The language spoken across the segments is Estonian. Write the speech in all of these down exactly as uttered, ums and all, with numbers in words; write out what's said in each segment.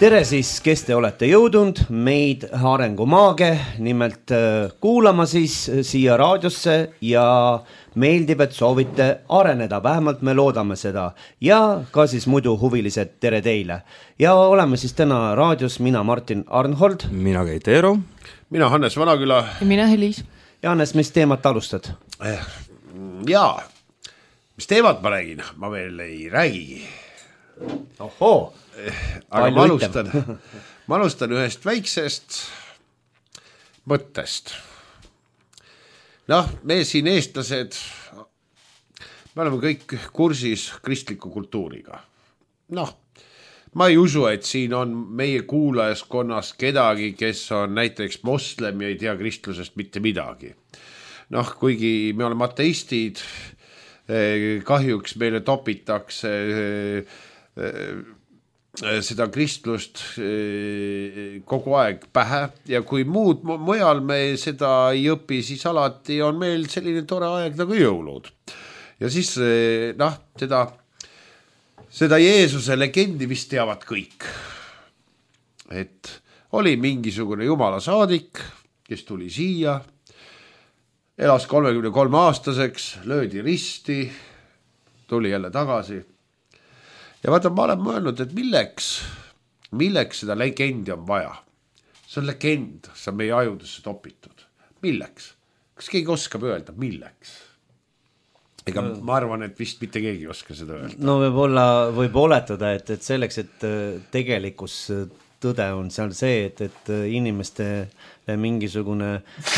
tere siis, kes te olete jõudnud meid Arengumaage nimelt kuulama siis siia raadiosse ja meeldib, et soovite areneda, vähemalt me loodame seda ja ka siis muidu huvilised tere teile. Ja oleme siis täna raadios, mina Martin Arnhold. Mina Keit Eero. Mina Hannes Vanaküla. Ja mina Helis. Ja Hannes, mis teemat alustad? Jaa, mis teemat ma räägin? Ma veel ei räägigi. Ohoo! Aga ma alustan, ma alustan ühest väiksest mõttest. Noh, me siin eestlased, me oleme kõik kursis kristliku kultuuriga. Noh, ma ei usu, et siin on meie kuulajaskonnas kedagi, kes on näiteks moslem ja ei tea kristlusest mitte midagi. Noh, kuigi me oleme ateistid, kahjuks meile topitakse seda kristlust kogu aeg pähe ja kui muud mujal me seda ei õpi, siis alati on meil selline tore aeg nagu jõulud. Ja siis noh, seda, seda Jeesuse legendi vist teavad kõik. Et oli mingisugune jumala saadik, kes tuli siia, elas kolmekümne kolme aastaseks, löödi risti, tuli jälle tagasi. Ja vaata, ma olen mõelnud, et milleks, milleks seda legendi on vaja. See on legend, see on meie ajudesse topitud. Milleks? Kas keegi oskab öelda, milleks? Ega no, ma arvan, et vist mitte keegi oska seda öelda. No võib-olla, võib oletada, et, et selleks, et tegelikus tõde on seal see, et, et inimestele mingisugune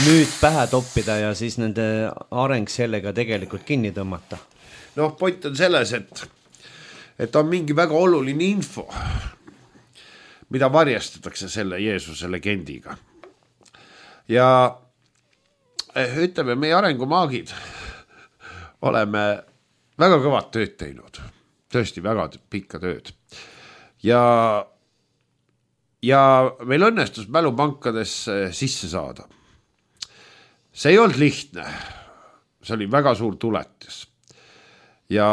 müüt pähe toppida ja siis nende areng sellega tegelikult kinni tõmmata. Noh, point on selles, et et on mingi väga oluline info, mida varjastatakse selle Jeesuse legendiga. Ja ütleme, meie arengumaagid oleme väga kõvad tööd teinud, tõesti väga pikka tööd. Ja, ja meil õnnestus mälupankadesse sisse saada. See ei olnud lihtne, see oli väga suur tuletis. Ja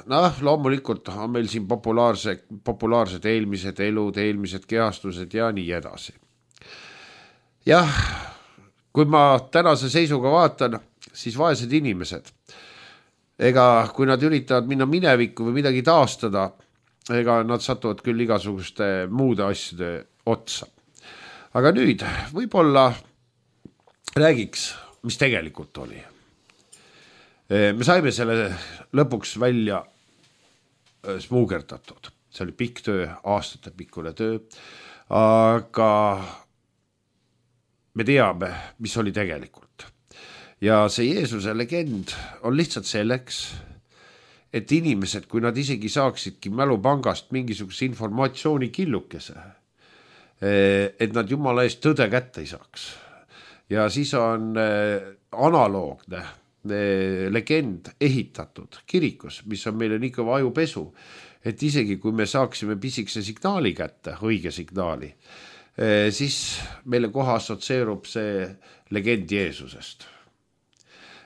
noh, loomulikult on meil siin populaarse, populaarsed eelmised elud, eelmised kehastused ja nii edasi. Jah, kui ma tänase seisuga vaatan, siis vaesed inimesed, ega kui nad üritavad minna minevikku või midagi taastada, ega nad satuvad küll igasuguste muude asjade otsa. Aga nüüd võib-olla räägiks, mis tegelikult oli. Me saime selle lõpuks välja smuugerdatud. See oli pikk töö, aastate pikkune töö, aga me teame, mis oli tegelikult. Ja see Jeesuse legend on lihtsalt selleks, et inimesed, kui nad isegi saaksidki mälupangast mingisuguse informatsiooni killukese, et nad jumala eest tõde kätte ei saaks. Ja siis on analoogne legend ehitatud kirikus, mis on meile nii kõva ajupesu, et isegi kui me saaksime pisikese signaali kätte, õige signaali, siis meile kohe assotseerub see legend Jeesusest.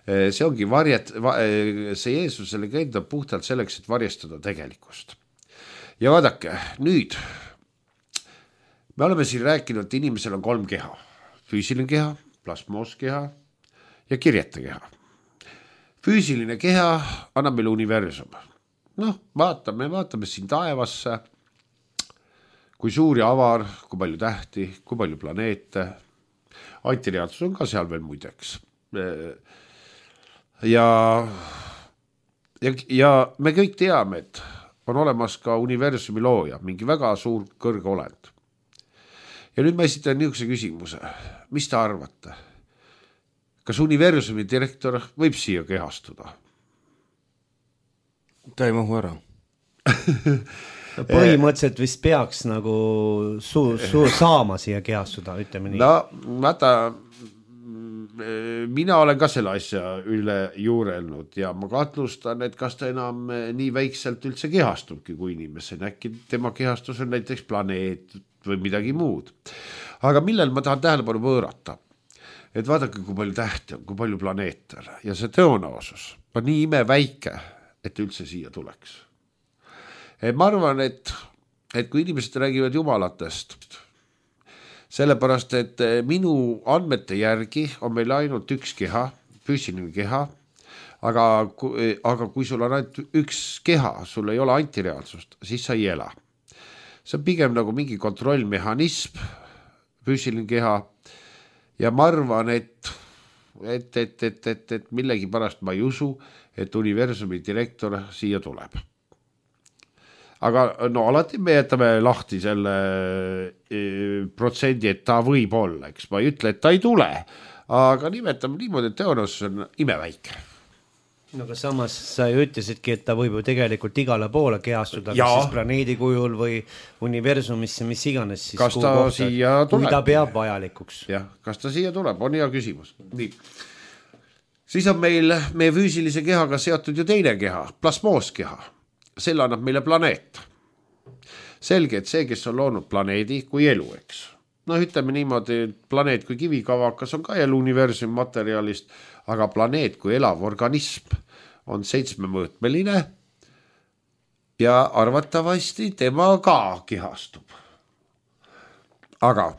See ongi varjet, see Jeesuse legend on puhtalt selleks, et varjestada tegelikkust. Ja vaadake, nüüd me oleme siin rääkinud, et inimesel on kolm keha. Füüsiline keha, plasmooskeha ja kirjete keha. Füüsiline keha annab meile universum. Noh, vaatame, vaatame siin taevasse, kui suur ja avar, kui palju tähti, kui palju planeete. Antiriadsus on ka seal veel muideks. Ja, ja, ja me kõik teame, et on olemas ka universumi looja, mingi väga suur kõrge olend. Ja nüüd ma esitan niisuguse küsimuse. Mis te arvate? Kas universumi direktor võib siia kehastuda? Ta ei mahu ära. Põhimõtteliselt vist peaks nagu su, su, saama siia kehastuda, ütleme nii. No, vaata, mina olen ka selle asja üle juurelnud ja ma kahtlustan, et kas ta enam nii väikselt üldse kehastubki kui inimesed. Äkki tema kehastus on näiteks planeet või midagi muud. Aga millel ma tahan tähelepanu võõrata? Et vaadake, kui palju tähti on, kui palju planeete on. Ja see tõenäosus on nii ime väike, et üldse siia tuleks. Ma arvan, et et kui inimesed räägivad jumalatest, sellepärast, et minu andmete järgi on meil ainult üks keha, füüsiline keha, aga, aga kui sul on ainult üks keha, sul ei ole antireaalsust, siis sa ei ela. See on pigem nagu mingi kontrollmehhanism, füüsiline keha, ja ma arvan, et et, et, et, et, et millegi pärast ma ei usu, et universumi direktor siia tuleb. Aga no alati me jätame lahti selle e, protsendi, et ta võib olla, eks ma ei ütle, et ta ei tule, aga nimetame niimoodi, et tõenäosus on imeväike. No aga samas sa ju ütlesidki, et ta võib ju tegelikult igale poole kehastuda, kas siis planeedi kujul või universumisse, mis iganes siis. Kas ta kohta, siia tuleb? Kui ta peab vajalikuks. Jah, kas ta siia tuleb, on hea küsimus. Nii. Siis on meil meie füüsilise kehaga seotud ju teine keha, plasmooskeha. Selle annab meile planeet. Selge, et see, kes on loonud planeedi kui elu, eks. No ütleme niimoodi, planeet kui kivikavakas on ka elu universumi materjalist, aga planeet kui elav organism on seitsmemõõtmeline ja arvatavasti tema ka kehastub. Aga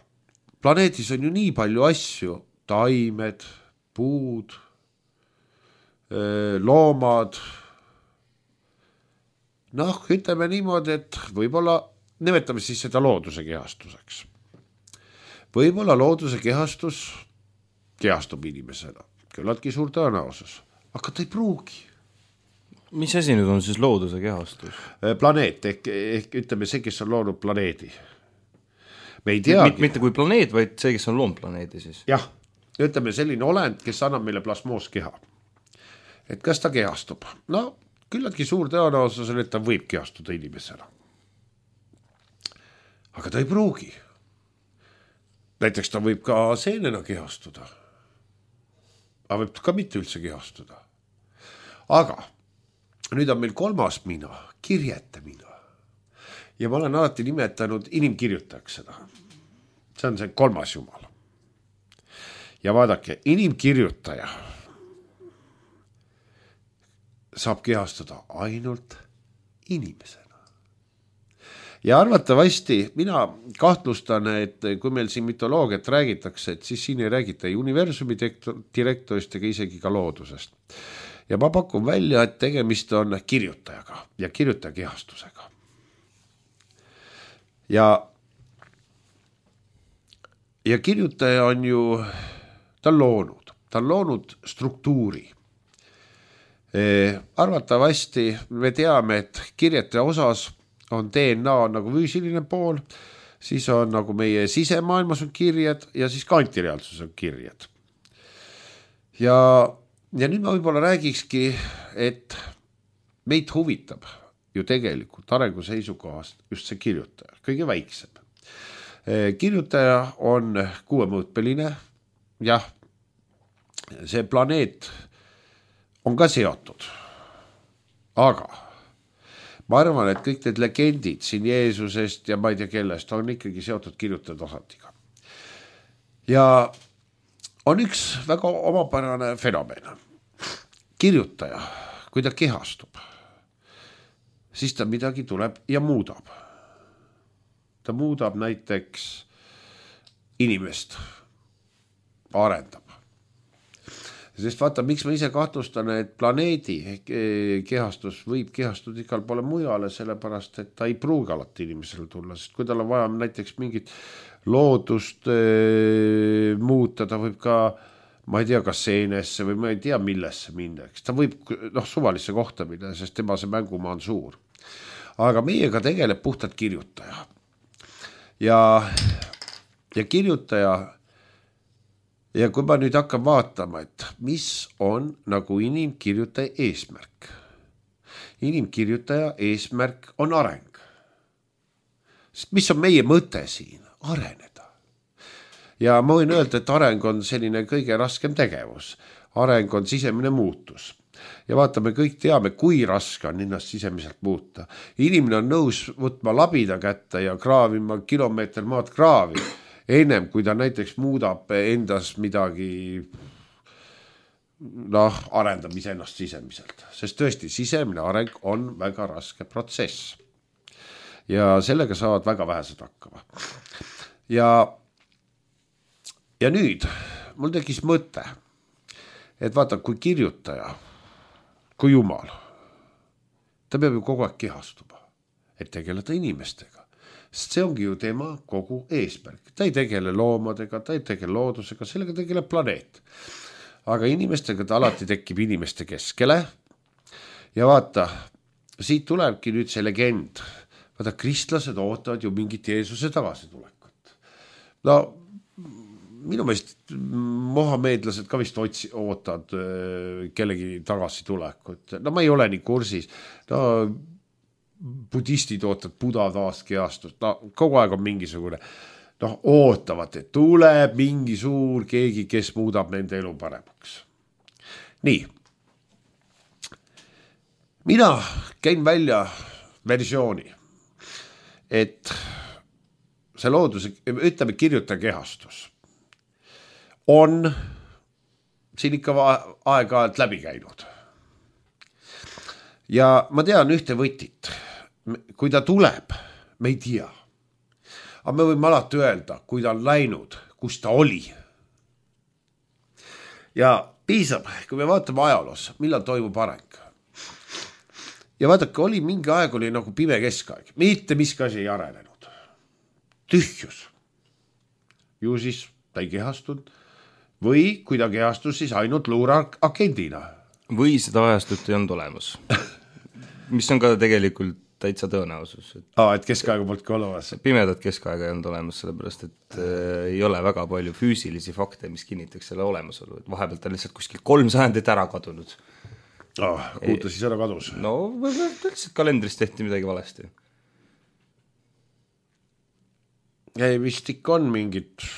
planeedis on ju nii palju asju, taimed, puud, loomad. Noh, ütleme niimoodi, et võib-olla nimetame siis seda looduse kehastuseks. Võib-olla looduse kehastus kehastub inimesena. Küllaltki suur tõenäosus, aga ta ei pruugi. Mis asi nüüd on siis looduse kehastus? Planeet, ehk, ehk ütleme see, kes on loonud planeedi. Me ei teagi. Mitte, mitte kui planeet, vaid see, kes on loonud planeedi siis. Jah, ütleme selline olend, kes annab meile plasmooskeha. Et kas ta kehastub? No, küllaltki suur tõenäosus on, et ta võib kehastuda inimesena. Aga ta ei pruugi. Näiteks ta võib ka seenena kehastuda. Aga võib ka mitte üldse kehastuda. Aga nüüd on meil kolmas mina, kirjete mina. Ja ma olen alati nimetanud inimkirjutajaks seda. See on see kolmas jumal. Ja vaadake, inimkirjutaja saab kehastuda ainult inimesena. Ja arvatavasti mina kahtlustan, et kui meil siin mütoloogiat räägitakse, et siis siin ei räägita universumi direktorist ega isegi ka loodusest. Ja ma pakun välja, et tegemist on kirjutajaga ja kirjutaja kehastusega. Ja, ja kirjutaja on ju, ta on loonud, ta on loonud struktuuri. Arvatavasti me teame, et kirjete osas on D N A nagu füüsiline pool, siis on nagu meie sisemaailmas on kirjed ja siis ka antireaalsus on kirjed. Ja, ja nüüd ma võib-olla räägikski, et meid huvitab ju tegelikult arengu seisukohast just see kirjutaja, kõige väiksem. Kirjutaja on kuuemõõtmeline, jah, see planeet on ka seotud, aga ma arvan, et kõik need legendid siin Jeesusest ja ma ei tea kellest on ikkagi seotud kirjutaja tasandiga. Ja on üks väga omapärane fenomen. Kirjutaja, kui ta kehastub, siis ta midagi tuleb ja muudab. Ta muudab näiteks inimest, arendab. Sest vaata, miks ma ise kahtlustan, et planeedi kehastus võib kehastuda igal poole mujale, sellepärast, et ta ei pruugi alati inimesele tulla, sest kui tal on vaja näiteks mingit loodust e, muuta, ta võib ka, ma ei tea, kas seenesse või ma ei tea, millesse minna. Ta võib noh, suvalisse kohta minna, sest tema see mängumaa on suur. Aga meiega tegeleb puhtalt kirjutaja. Ja, ja kirjutaja ja kui ma nüüd hakkan vaatama, et mis on nagu inimkirjutaja eesmärk. Inimkirjutaja eesmärk on areng. Sest mis on meie mõte siin? Areneda. Ja ma võin öelda, et areng on selline kõige raskem tegevus. Areng on sisemine muutus. Ja vaata, me kõik teame, kui raske on ennast sisemiselt muuta. Inimene on nõus võtma labida kätte ja kraavima kilomeeter maad kraavi. Ennem, kui ta näiteks muudab endas midagi, noh, arendab iseennast sisemiselt. Sest tõesti, sisemine areng on väga raske protsess. ja sellega saavad väga vähesed hakkama. Ja, ja nüüd mul tekkis mõte, et vaata, kui kirjutaja, kui Jumal, ta peab ju kogu aeg kehastuma, et tegeleda inimestega. Sest see ongi ju tema kogu eesmärk. Ta ei tegele loomadega, ta ei tegele loodusega, sellega tegeleb planeet. Aga inimestega ta alati tekib inimeste keskele. Ja vaata, siit tulebki nüüd see legend. Vaata, kristlased ootavad ju mingit Jeesuse tagasitulekut. No, minu meelest mohameedlased ka vist otsi, ootavad kellegi tagasitulekut. No ma ei ole nii kursis. No, budistid ootavad Buda taas kehastust, no kogu aeg on mingisugune, noh, ootavad, et tuleb mingi suur keegi, kes muudab nende elu paremaks. Nii. Mina käin välja versiooni, et see looduse, ütleme, kirjutaja kehastus on siin ikka aeg-ajalt läbi käinud. Ja ma tean ühte võtit. Kui ta tuleb, me ei tea. Aga me võime alati öelda, kui ta on läinud, kus ta oli. Ja piisab, kui me vaatame ajaloos, millal toimub areng. Ja vaadake, oli mingi aeg, oli nagu pime keskaeg. Mitte miski asi ei arenenud. Tühjus. Ju siis ta ei kehastunud. Või kui ta kehastus, siis ainult luuragendina. Või seda ajastut ei olnud olemas. Mis on ka tegelikult täitsa tõenäosus. Et, Aa, et keskaega polnud ka olemas. Pimedat keskaega ei olnud olemas, sellepärast et äh, ei ole väga palju füüsilisi fakte, mis kinnitaks selle olemasolu. Et vahepealt on lihtsalt kuskil kolm sajandit ära kadunud. Ah, kuuta siis ära kadus. No, lihtsalt kalendris tehti midagi valesti. Ei, vist ikka on mingid...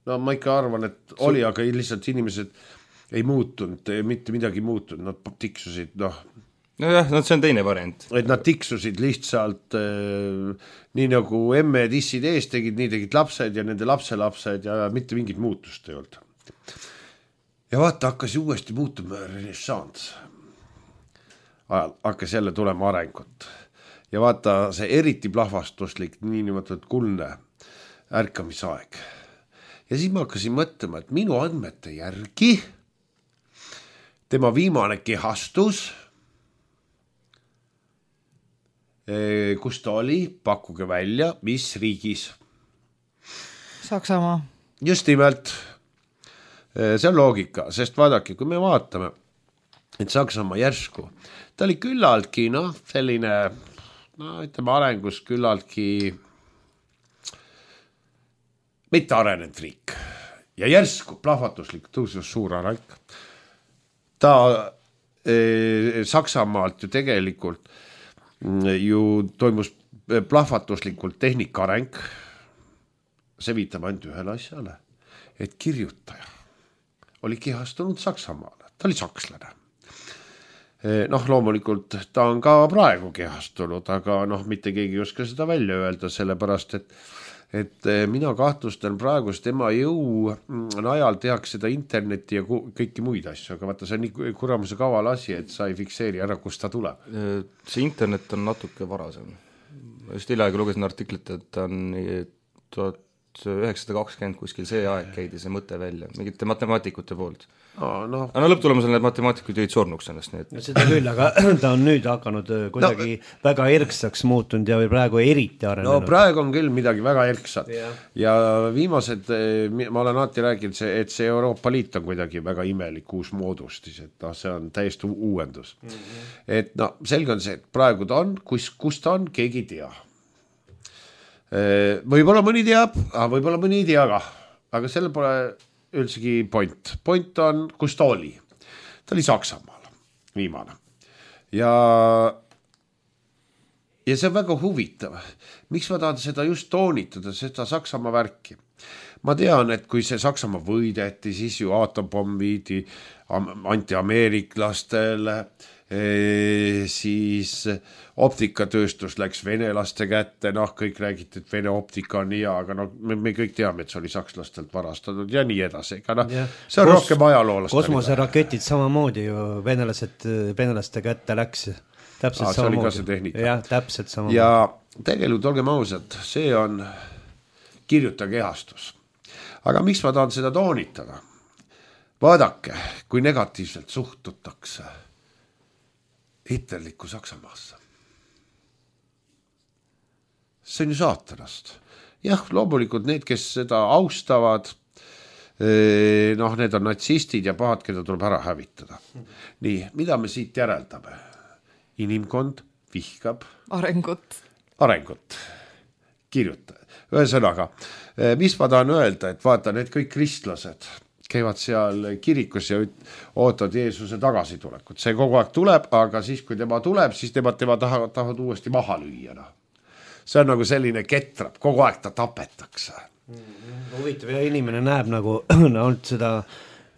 No ma ikka arvan, et Su... oli, aga lihtsalt inimesed ei muutunud, mitte midagi muutunud, nad tiksusid, noh... No jah, no see on teine variant. Et nad tiksusid lihtsalt äh, nii nagu emme dissid ees tegid, nii tegid lapsed ja nende lapselapsed ja mitte mingit muutust ei olnud. Ja vaata, hakkas uuesti muutuma renessants. Ajal hakkas jälle tulema arengut. Ja vaata, see eriti plahvastuslik, nii niimoodi kuldne ärkamisaeg. Ja siis ma hakkasin mõtlema, et minu andmete järgi tema viimane kehastus, kus ta oli, pakkuge välja, mis riigis? Saksamaa. Just nimelt. See on loogika, sest vaadake, kui me vaatame, et Saksamaa järsku, ta oli küllaltki, noh, selline, no ütleme arengus küllaltki mitte arenenud riik. Ja järsku plahvatuslik tõusus suur areng. Ta eh, Saksamaalt ju tegelikult ju toimus plahvatuslikult tehnika areng. See viitab ainult ühele asjale, et kirjutaja oli kehastunud Saksamaale. Ta oli sakslane. Noh, loomulikult ta on ka praegu kehastunud, aga noh, mitte keegi ei oska seda välja öelda, sellepärast, et et mina kahtlustan praegust tema jõu najal tehakse seda internetti ja kõiki muid asju, aga vaata, see on nii kuramuse kaval asi, et sa ei fikseeri ära, kust ta tuleb. See internet on natuke varasem. Just hiljaaegu lugesin artiklit, et ta on tuhat üheksasada kakskümmend kuskil see aeg käidi see mõte välja, mingite matemaatikute poolt. No, no. no lõpptulemusel need matemaatikud jäid surnuks ennast. Nii et... no, seda küll, aga ta on nüüd hakanud kuidagi no, väga erksaks muutunud ja praegu eriti arenenud. No praegu on küll midagi väga erksat ja, ja viimased, ma olen alati rääkinud, et see Euroopa Liit on kuidagi väga imelik uus moodustis, et no, see on täiesti uuendus. Mm-hmm. Et no selge on see, et praegu ta on, kus, kus ta on, keegi ei tea. Võib-olla mõni teab, aga võib-olla mõni ei tea ka, aga selle pole üldsegi point. Point on, kus ta oli. Ta oli Saksamaal, viimane. Ja, ja see on väga huvitav. Miks ma tahan seda just toonitada, seda Saksamaa värki? Ma tean, et kui see Saksamaa võideti, siis ju aatompomm viidi anti-ameeriklastele, E, siis optikatööstus läks venelaste kätte, noh, kõik räägiti, et Vene optika on hea, aga no, me, me kõik teame, et see oli sakslastelt varastatud ja nii edasi, ega noh, see on Kos rohkem ajaloolast. Kosmoseraketid samamoodi ju venelased, venelaste kätte läks. täpselt Aa, see oli ka see tehnika. jah, täpselt sama. Ja tegelikult olgem ausad, see on kirjuta kehastus. Aga miks ma tahan seda toonitada? Vaadake, kui negatiivselt suhtutakse hitlerlikku Saksamaasse. See on ju saatanast. Jah, loomulikult need, kes seda austavad, noh, need on natsistid ja pahad, keda tuleb ära hävitada. Nii, mida me siit järeldame? Inimkond vihkab arengut. Arengut. Kirjuta. Ühesõnaga, mis ma tahan öelda, et vaata, need kõik kristlased käivad seal kirikus ja ootavad Jeesuse tagasitulekut. See kogu aeg tuleb, aga siis, kui tema tuleb, siis tema, tema tahavad, tahavad uuesti maha lüüa. No. See on nagu selline ketrab, kogu aeg ta tapetakse. Huvitav ja inimene näeb nagu olnud seda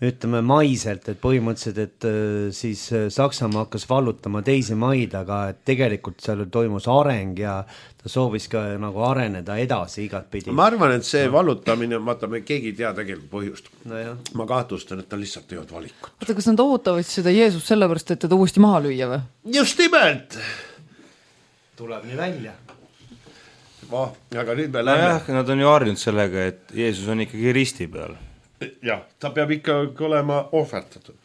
ütleme maiselt, et põhimõtteliselt, et siis Saksamaa hakkas vallutama teisi maid, aga et tegelikult seal toimus areng ja ta soovis ka nagu areneda edasi igat pidi. Ma arvan, et see vallutamine, vaata, me keegi ei tea tegelikult põhjust. No jah. Ma kahtlustan, et ta lihtsalt ei olnud valikut. Oota, kas nad ootavad seda Jeesus sellepärast, et teda uuesti maha lüüa või? Just nimelt! Tuleb nii välja. Oh, aga nüüd me no lähme. jah, nad on ju harjunud sellega, et Jeesus on ikkagi risti peal. Jah, ta peab ikka olema ohvertatud.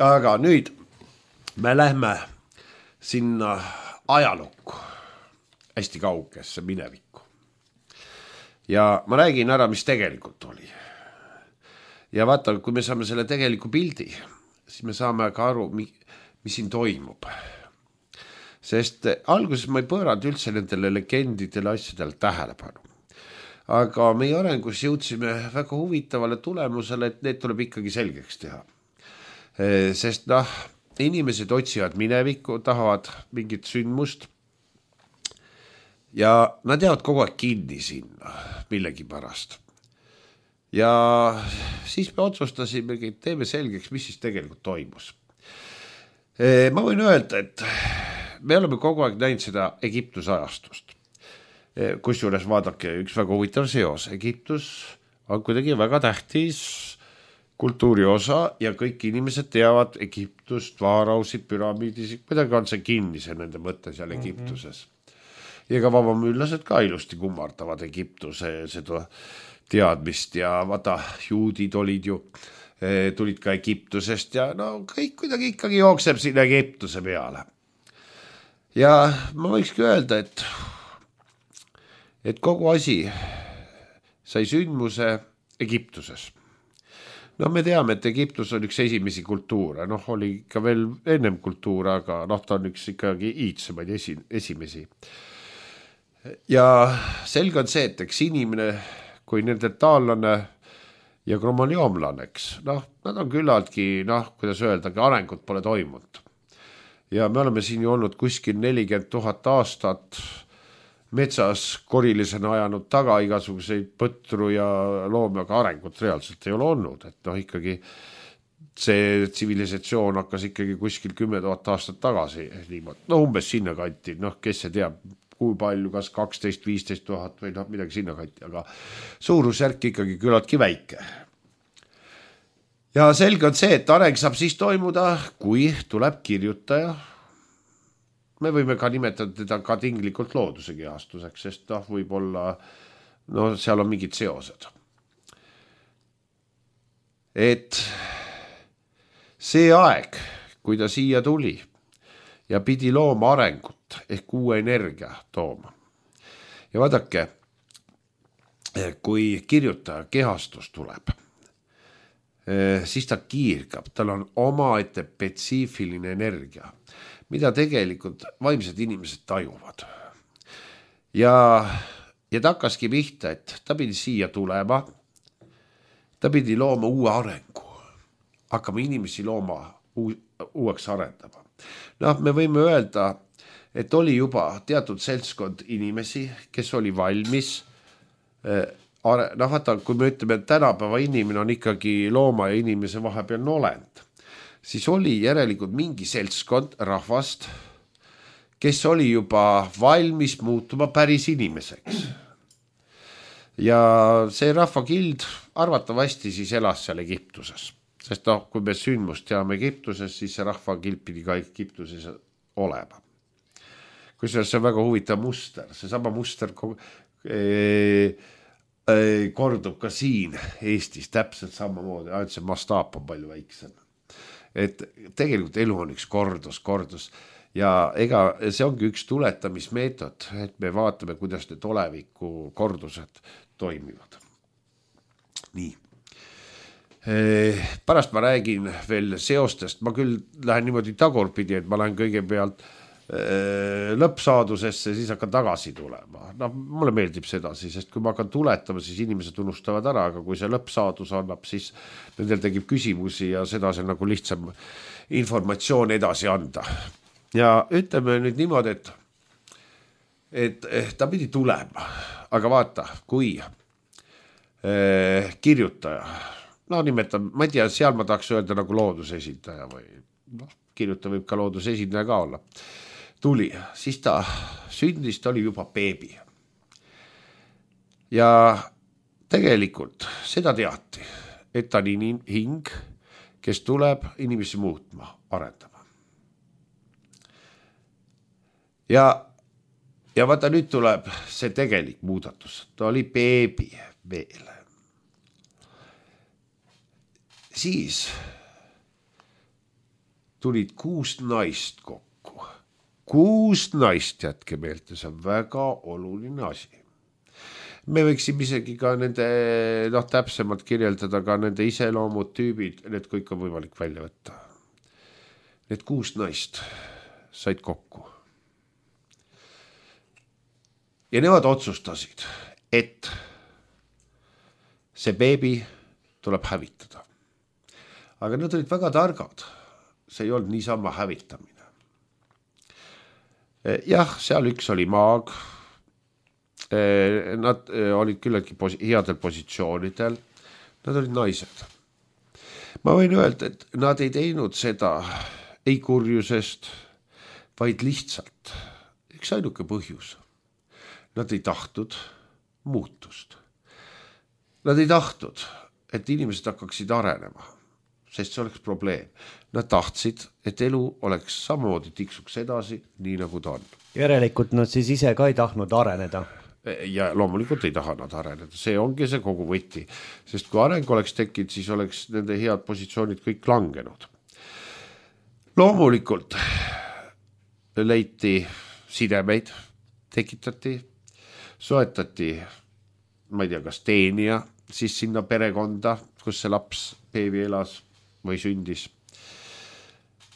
Aga nüüd me lähme sinna ajalukku, hästi kaugesse minevikku. Ja ma räägin ära, mis tegelikult oli. Ja vaata, kui me saame selle tegeliku pildi, siis me saame ka aru, mis siin toimub. Sest alguses ma ei pööranud üldse nendele legendidele asjadele tähelepanu. Aga meie arengus jõudsime väga huvitavale tulemusele, et need tuleb ikkagi selgeks teha. Sest noh, inimesed otsivad minevikku, tahavad mingit sündmust ja nad jäävad kogu aeg kinni sinna millegi pärast. Ja siis me otsustasimegi, et teeme selgeks, mis siis tegelikult toimus. Ma võin öelda, et me oleme kogu aeg näinud seda Egiptuse ajastust. Kusjuures vaadake, üks väga huvitav seos. Egiptus on kuidagi väga tähtis kultuuri osa ja kõik inimesed teavad Egiptust, vaarausid, püramiidis, kuidagi on see kinni see nende mõtte seal Egiptuses. Ja ka vabamüüllased ka ilusti kummardavad Egiptuse seda teadmist ja vaata, juudid olid ju, tulid ka Egiptusest ja no kõik kuidagi ikkagi jookseb sinna Egiptuse peale. Ja ma võikski öelda, et et kogu asi sai sündmuse Egiptuses. No me teame, et Egiptus on üks esimesi kultuure, noh oli ikka veel ennem kultuur, aga noh ta on üks ikkagi iidsemaid esi, esimesi. Ja selge on see, et eks inimene, kui neandertaallane ja kromoljoomlaneks, noh nad on küllaltki, noh kuidas öeldagi, arengut pole toimunud. Ja me oleme siin ju olnud kuskil nelikümmend tuhat aastat metsas korilisena ajanud taga igasuguseid põtru ja loomi, aga arengut reaalselt ei ole olnud. Et noh ikkagi see tsivilisatsioon hakkas ikkagi kuskil kümme tuhat aastat tagasi. No umbes sinna kanti, noh kes see teab, kui palju, kas kaksteist viisteist tuhat või noh midagi sinna kanti, aga suurusjärk ikkagi küllaltki väike. Ja selge on see, et areng saab siis toimuda, kui tuleb kirjutaja. Me võime ka nimetada teda ka tinglikult looduse kehastuseks, sest noh, võib olla, no seal on mingid seosed. Et see aeg, kui ta siia tuli ja pidi looma arengut ehk uue energia tooma. Ja vaadake, kui kirjutaja kehastus tuleb, siis ta kiirgab, tal on omaette spetsiifiline energia, mida tegelikult vaimsed inimesed tajuvad. Ja, ja ta hakkaski pihta, et ta pidi siia tulema, ta pidi looma uue arengu, hakkama inimesi looma uu, uueks arendama. Noh, me võime öelda, et oli juba teatud seltskond inimesi, kes oli valmis, noh vaata, kui me ütleme, et tänapäeva inimene on ikkagi looma ja inimese vahepealne olend, siis oli järelikult mingi seltskond rahvast, kes oli juba valmis muutuma päris inimeseks. Ja see rahvakild arvatavasti siis elas seal Egiptuses. Sest noh, kui me sündmust teame Egiptuses, siis see rahvakild pidi ka Egiptuses olema. kusjuures see on väga huvitav muster, see sama muster e, e, kordub ka siin Eestis täpselt samamoodi, ainult see mastaap on palju väiksem. Et tegelikult elu on üks kordus, kordus ja ega see ongi üks tuletamismeetod, et me vaatame, kuidas need oleviku kordused toimivad. Nii. Pärast ma räägin veel seostest, ma küll lähen niimoodi tagurpidi, et ma lähen kõigepealt lõppsaadusesse, siis hakkan tagasi tulema. No, mulle meeldib sedasi, sest kui ma hakkan tuletama, siis inimesed unustavad ära, aga kui see lõppsaadus annab, siis nendel tegib küsimusi ja seda see nagu lihtsam informatsioon edasi anda. Ja ütleme nüüd niimoodi, et, et ta pidi tulema, aga vaata, kui eh, kirjutaja, no nimetan, ma ei tea, seal ma tahaks öelda nagu loodusesindaja või no, kirjutaja võib ka loodusesindaja ka olla. Tuli, siis ta sündis, ta oli juba beebi. Ja tegelikult seda teati, et ta on hing, kes tuleb inimesi muutma, arendama. Ja, ja vaata nüüd tuleb see tegelik muudatus. Ta oli beebi veel. Siis tulid kuus naist kokku. Kuus naist, jätke meelte, see on väga oluline asi. Me võiksime isegi ka nende, noh, täpsemalt kirjeldada ka nende iseloomud, tüübid, need kõik on võimalik välja võtta. Need kuus naist said kokku. Ja nemad otsustasid, et see beebi tuleb hävitada. Aga nad olid väga targad. See ei olnud niisama hävitamine. Jah, seal üks oli maag. Nad olid küllaltki posi- headel positsioonidel. Nad olid naised. Ma võin öelda, et nad ei teinud seda ei kurjusest, vaid lihtsalt. Üks ainuke põhjus. Nad ei tahtnud muutust. Nad ei tahtnud, et inimesed hakkaksid arenema, sest see oleks probleem. Nad tahtsid, et elu oleks samamoodi tiksuks edasi, nii nagu ta on. Järelikult nad siis ise ka ei tahtnud areneda. Ja loomulikult ei taha nad areneda. See ongi see kogu võti. Sest kui areng oleks tekkinud, siis oleks nende head positsioonid kõik langenud. Loomulikult leiti sidemeid, tekitati, soetati, ma ei tea, kas teenija, siis sinna perekonda, kus see laps beebi elas või sündis.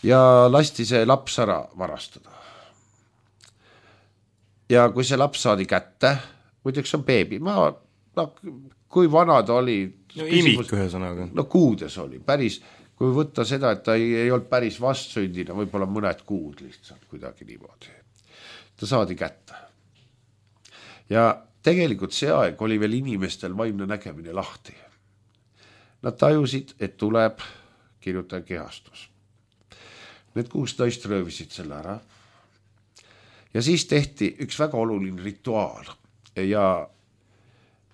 Ja lasti see laps ära varastada. Ja kui see laps saadi kätte, muideks on beebi, ma, no, kui vana ta oli? No imik ühe sõnaga. No kuudes oli, päris, kui võtta seda, et ta ei, ei olnud päris vastsündina, võib-olla mõned kuud lihtsalt kuidagi niimoodi. Ta saadi kätte. Ja tegelikult see aeg oli veel inimestel vaimne nägemine lahti. Nad tajusid, et tuleb kirjutaja kehastus. Need kuus naist röövisid selle ära. Ja siis tehti üks väga oluline rituaal. Ja,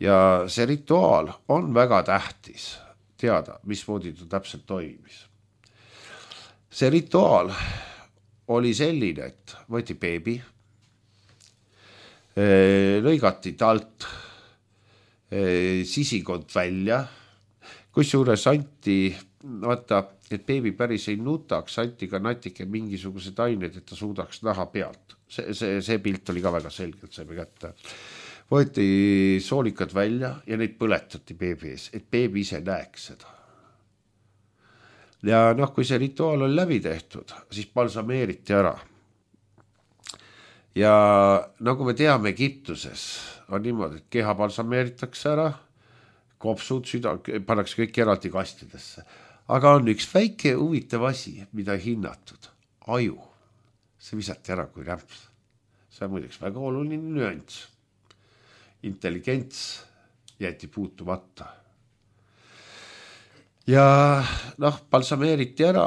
ja see rituaal on väga tähtis teada, mismoodi ta täpselt toimis. See rituaal oli selline, et võeti beebi, lõigati talt sisikond välja, kusjuures anti, vaata, et beebi päris ei nutaks, anti ka natike mingisugused ained, et ta suudaks näha pealt. See, see, see pilt oli ka väga selgelt saime kätte. Võeti soolikad välja ja neid põletati beebi ees, et beebi ise näeks seda. Ja noh, kui see rituaal oli läbi tehtud, siis balsameeriti ära. Ja nagu me teame Egiptuses on niimoodi, et keha balsameeritakse ära, kopsud, süda, pannakse kõik eraldi kastidesse. Aga on üks väike huvitav asi, mida ei hinnatud. Aju. See visati ära kui rämps. See on muideks väga oluline nüanss. Intelligents jäeti puutumata. Ja noh, balsameeriti ära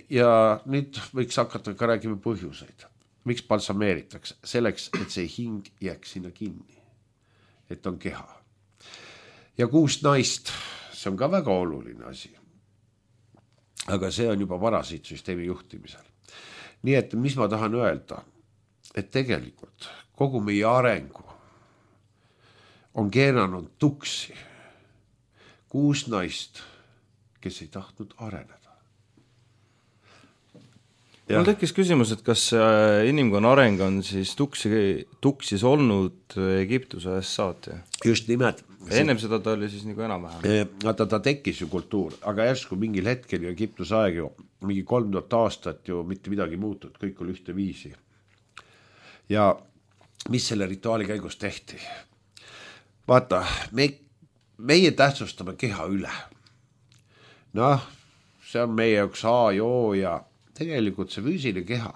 ja nüüd võiks hakata ka räägima põhjuseid. Miks balsameeritakse? Selleks, et see hing jääks sinna kinni. Et on keha. Ja kuus naist, see on ka väga oluline asi. Aga see on juba varasiitsüsteemi juhtimisel. Nii et mis ma tahan öelda? et tegelikult kogu meie arengu on keeranud tuksi kuus naist, kes ei tahtnud areneda. Ja. Mul tekkis küsimus, et kas inimkonna areng on siis tuksi, tuksis olnud Egiptuse ajast saati? Just nimelt. Ennem seda ta oli siis nagu enam-vähem. Ta, ta tekkis ju kultuur, aga järsku mingil hetkel ju Egiptuse aeg ju mingi kolm tuhat aastat ju mitte midagi muutud, kõik oli ühte viisi. Ja mis selle rituaali käigus tehti? Vaata, me, meie tähtsustame keha üle. Noh, see on meie üks A ja O ja tegelikult see füüsiline keha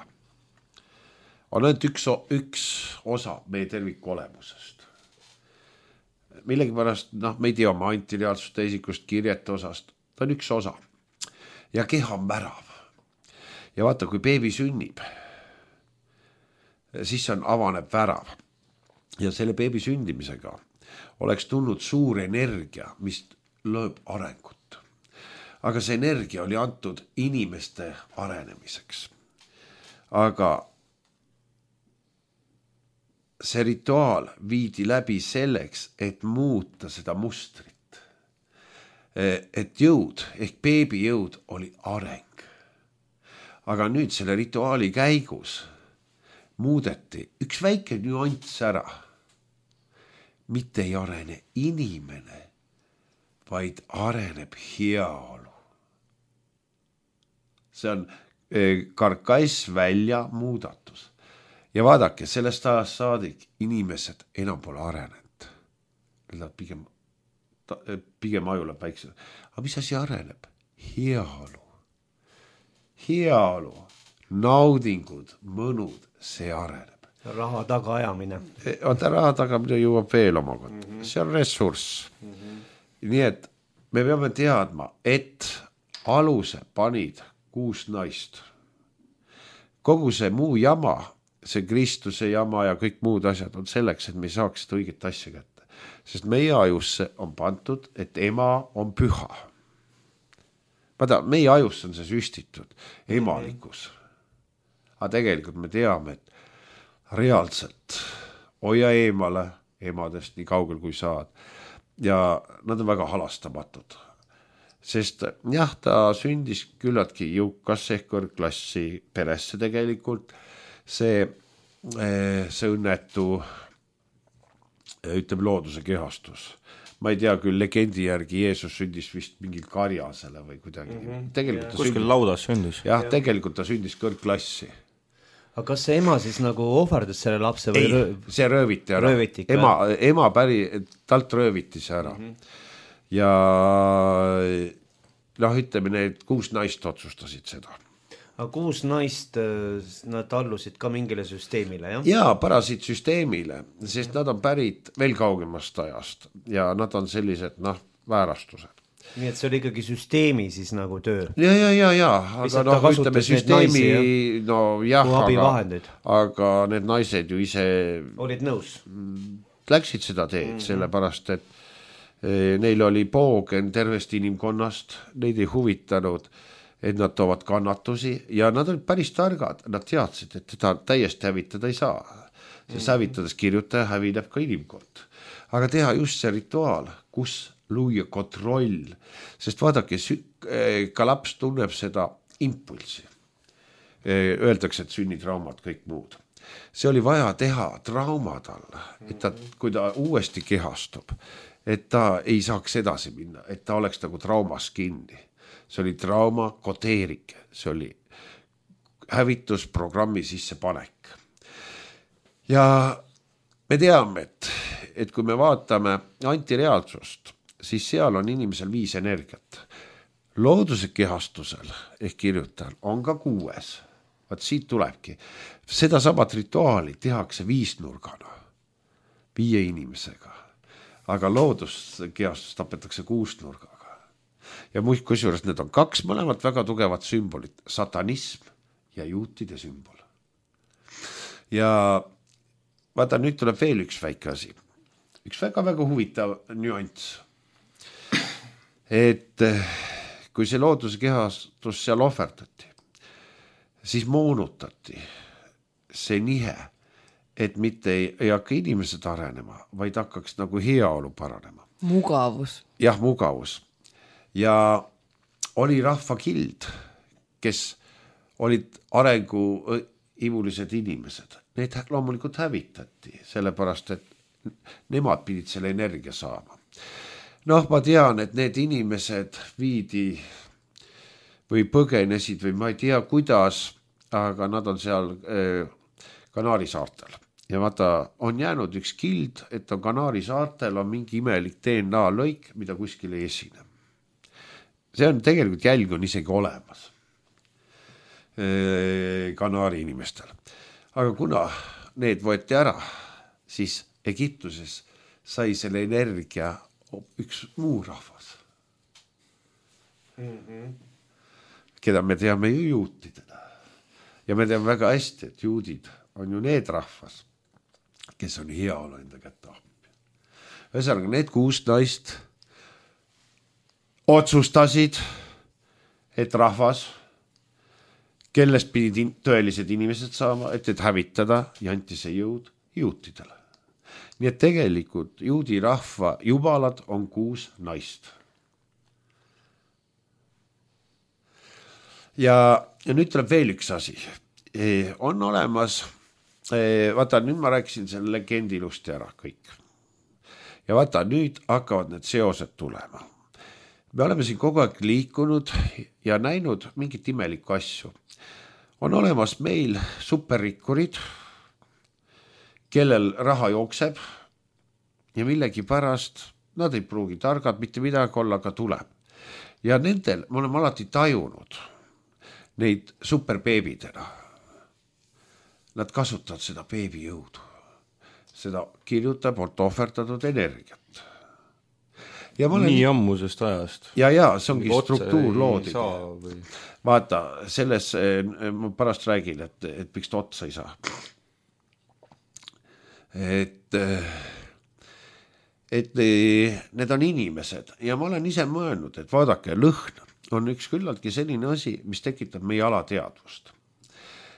on ainult üks, üks osa meie terviku olemusest. Millegi pärast, noh, me ei tea oma antireaalsust teisikust kirjete osast, ta on üks osa. Ja keha on värav. Ja vaata, kui beebi sünnib, siis on avaneb värav. Ja selle beebi sündimisega oleks tulnud suur energia, mis lööb arengut. Aga see energia oli antud inimeste arenemiseks. Aga see rituaal viidi läbi selleks, et muuta seda mustrit. Et jõud ehk beebi jõud oli areng. Aga nüüd selle rituaali käigus muudeti üks väike nüanss ära. Mitte ei arene inimene, vaid areneb heaolu. See on karkass välja muudatus. Ja vaadake, sellest ajast saadik inimesed enam pole arenenud. Nad pigem, pigem ajuleb väiksed. Aga mis asi areneb? Heaolu. Heaolu, naudingud, mõnud, see areneb. Raha tagaajamine. Oota, raha tagamine jõuab veel oma kohta. Mm-hmm. See on ressurss. Mm-hmm. Nii et me peame teadma, et aluse panid kuus naist. Kogu see muu jama, see Kristuse jama ja kõik muud asjad on selleks, et me saaks seda õiget asja kätte. Sest meie ajusse on pantud, et ema on püha. Vaata, meie ajusse on see süstitud, emalikus. Aga tegelikult me teame, et reaalselt hoia eemale emadest nii kaugel kui saad. Ja nad on väga halastamatud. Sest jah, ta sündis küllaltki jõukas ehk kõrgklassi peresse tegelikult. See, see õnnetu, ütleb looduse kehastus. Ma ei tea küll, legendi järgi Jeesus sündis vist mingil karjasele või kuidagi. Mm-hmm. Tegelikult kuskil sündis, laudas sündis. Jah, ja. Tegelikult ta sündis kõrgklassi. Aga kas see ema siis nagu ohverdas selle lapse või? Ei, röö... see rööviti ära. Rööviti ema, ema päri, talt rööviti see ära. Mm-hmm. Ja noh, ütleme, need kuus naist otsustasid seda. Aga kuus naist, nad allusid ka mingile süsteemile, jah? Jaa, parasid süsteemile, sest nad on pärit veel kaugemast ajast ja nad on sellised, noh, väärastused. Nii et see oli ikkagi süsteemi siis nagu töö. Ja, ja, ja, ja, aga noh, ütleme süsteemi, naisi, no jah, aga, aga need naised ju ise olid nõus. Läksid seda teed, mm-hmm. sellepärast, et e, neil oli poogen tervest inimkonnast, neid ei huvitanud, et nad toovad kannatusi ja nad olid päris targad, nad teadsid, et teda täiesti hävitada ei saa. See mm-hmm. hävitades kirjutaja hävineb ka inimkond. Aga teha just see rituaal, kus luua kontroll, sest vaadake, ka laps tunneb seda impulsi. Öeldakse, et sünnitraumad, kõik muud. See oli vaja teha trauma talle, et ta, kui ta uuesti kehastub, et ta ei saaks edasi minna, et ta oleks nagu traumas kinni. See oli trauma kodeerik, see oli hävitusprogrammi sissepanek. Ja me teame, et, et kui me vaatame antireaalsust, siis seal on inimesel viis energiat. Looduse kehastusel ehk kirjutajal on ka kuues. Vaat siit tulebki. Seda samat rituaali tehakse viisnurgana, viie inimesega. Aga looduskehastus tapetakse kuusnurgaga. Ja muist kusjuures need on kaks mõlemad väga tugevat sümbolit. Satanism ja juutide sümbol. Ja vaata, nüüd tuleb veel üks väike asi. Üks väga-väga huvitav nüanss. Et kui see looduse kehastus seal ohverdati, siis moonutati see nihe et mitte ei, ei hakka inimesed arenema, vaid hakkaks nagu heaolu paranema. Mugavus. Jah, mugavus. Ja oli rahvakild, kes olid arenguimulised inimesed. Need loomulikult hävitati, sellepärast, et nemad pidid selle energia saama. Noh, ma tean, et need inimesed viidi või põgenesid või ma ei tea kuidas, aga nad on seal Kanaari saartel. Ja vaata, on jäänud üks kild, et on Kanaari saartel on mingi imelik D N A lõik, mida kuskil ei esine. See on tegelikult jälg on isegi olemas Kanaari inimestel. Aga kuna need võeti ära, siis Egiptuses sai selle energia üks muu rahvas. Mm-hmm. Keda me teame ju juutidena. Ja me teame väga hästi, et juudid on ju need rahvas, kes on heaolu enda kätte appi. Ühesõnaga, need kuus naist otsustasid, et rahvas, kellest pidid tõelised inimesed saama, et et hävitada ja anti see jõud juutidele. Nii et tegelikult juudi rahva jubalad on kuus naist. Ja, ja nüüd tuleb veel üks asi. E, on olemas, e, vaata nüüd ma rääkisin selle legendi ilusti ära kõik. Ja vaata nüüd hakkavad need seosed tulema. Me oleme siin kogu aeg liikunud ja näinud mingit imelikku asju. On olemas meil superrikkurid, kellel raha jookseb ja millegi pärast nad ei pruugi targad, mitte midagi olla, aga tuleb. Ja nendel me oleme alati tajunud neid superbeebidena. Nad kasutavad seda beebi jõudu, seda kirjutab, on ohverdatud energiat. Ja olen... Nii ammusest ajast. Ja, ja, see ongi struktuur loodid. Või... Vaata, selles ma pärast räägin, et, et miks ta otsa ei saa. Et, et need on inimesed ja ma olen ise mõelnud, et vaadake, lõhn on üks küllaltki selline asi, mis tekitab meie alateadvust.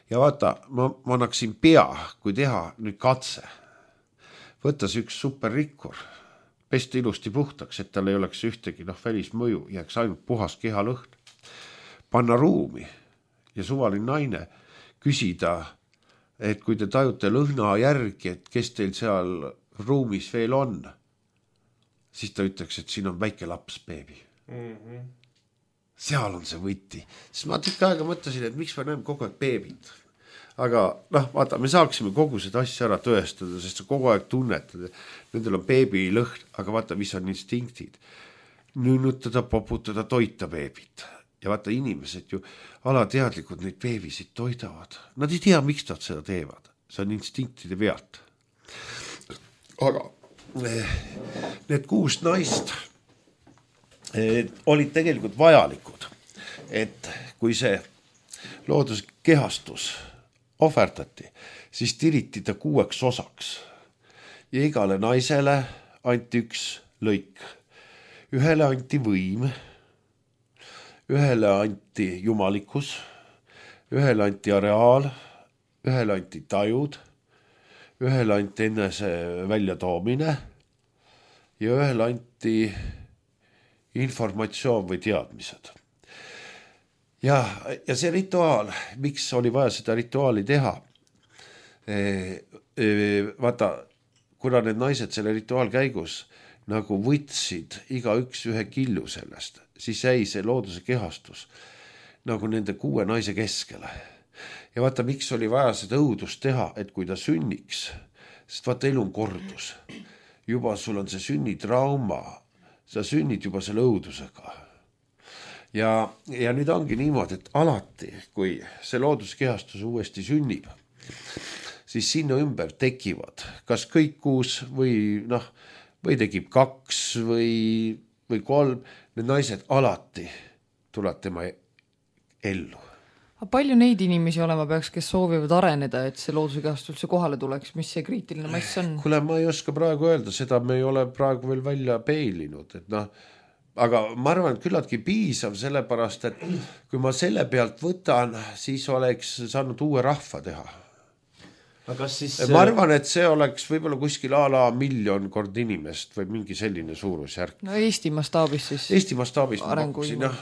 Ja vaata, ma, ma annaksin pea, kui teha nüüd katse. Võttes üks superrikkur, pesta ilusti puhtaks, et tal ei oleks ühtegi noh, välismõju, jääks ainult puhas kehalõhn. Panna ruumi ja suvaline naine küsida, et kui te tajute lõhna järgi, et kes teil seal ruumis veel on, siis ta ütleks, et siin on väike laps beebi. Mm-hmm. Seal on see võti. Siis ma tükk aega mõtlesin, et miks me näeme kogu aeg beebid. Aga noh, vaata, me saaksime kogu seda asja ära tõestada, sest sa kogu aeg tunnetad, nendel on beebi lõhn, aga vaata, mis on instinktid. Nünnutada, poputada, toita beebit. Ja vaata, inimesed ju alateadlikud neid beebisid toidavad. Nad ei tea, miks nad seda teevad. See on instinktide pealt. Aga need kuus naist olid tegelikult vajalikud, et kui see looduskehastus ohverdati, siis tiriti ta kuueks osaks. Ja igale naisele anti üks lõik. Ühele anti võim, ühele anti jumalikkus, ühele anti areaal, ühele anti tajud, ühele anti enese väljatoomine ja ühele anti informatsioon või teadmised. Ja, ja see rituaal, miks oli vaja seda rituaali teha? E, e, vaata, kuna need naised selle rituaal käigus nagu võtsid iga üks ühe killu sellest, siis jäi see looduse kehastus nagu nende kuue naise keskele. Ja vaata, miks oli vaja seda õudust teha, et kui ta sünniks, sest vaata, elu on kordus. Juba sul on see sünnitrauma, sa sünnid juba selle õudusega. Ja, ja nüüd ongi niimoodi, et alati, kui see looduskehastus uuesti sünnib, siis sinna ümber tekivad kas kõik kuus või, noh, või tekib kaks või, või kolm, need naised alati tulevad tema ellu. Palju neid inimesi olema peaks, kes soovivad areneda, et see loodusekehastus üldse kohale tuleks, mis see kriitiline mass on? Kuule, ma ei oska praegu öelda, seda me ei ole praegu veel välja peilinud, et noh, aga ma arvan, et küllaltki piisav sellepärast, et kui ma selle pealt võtan, siis oleks saanud uue rahva teha. aga kas siis ma arvan, et see oleks võib-olla kuskil a la miljon kord inimest või mingi selline suurusjärk. No Eesti mastaabis siis. Eesti mastaabis ma pakkusin, jah.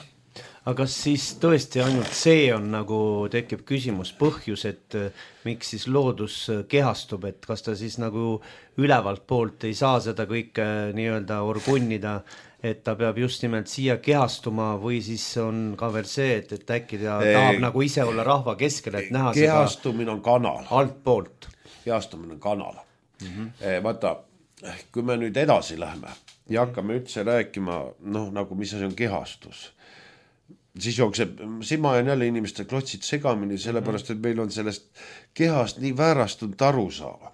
aga kas siis tõesti ainult see on nagu tekib küsimus põhjus, et miks siis loodus kehastub, et kas ta siis nagu ülevalt poolt ei saa seda kõike nii-öelda orgunnida, et ta peab just nimelt siia kehastuma või siis on ka veel see, et, et äkki ta ei, tahab nagu ise olla rahva keskel, et näha kehastumine on kanal. Alt poolt. Kehastumine on kanal. Mm-hmm. Vaata, kui me nüüd edasi läheme ja hakkame üldse rääkima, noh, nagu mis asi on kehastus, siis jookseb, siin ma olen jälle inimeste klotsid segamini, sellepärast, et meil on sellest kehast nii väärastunud aru saava.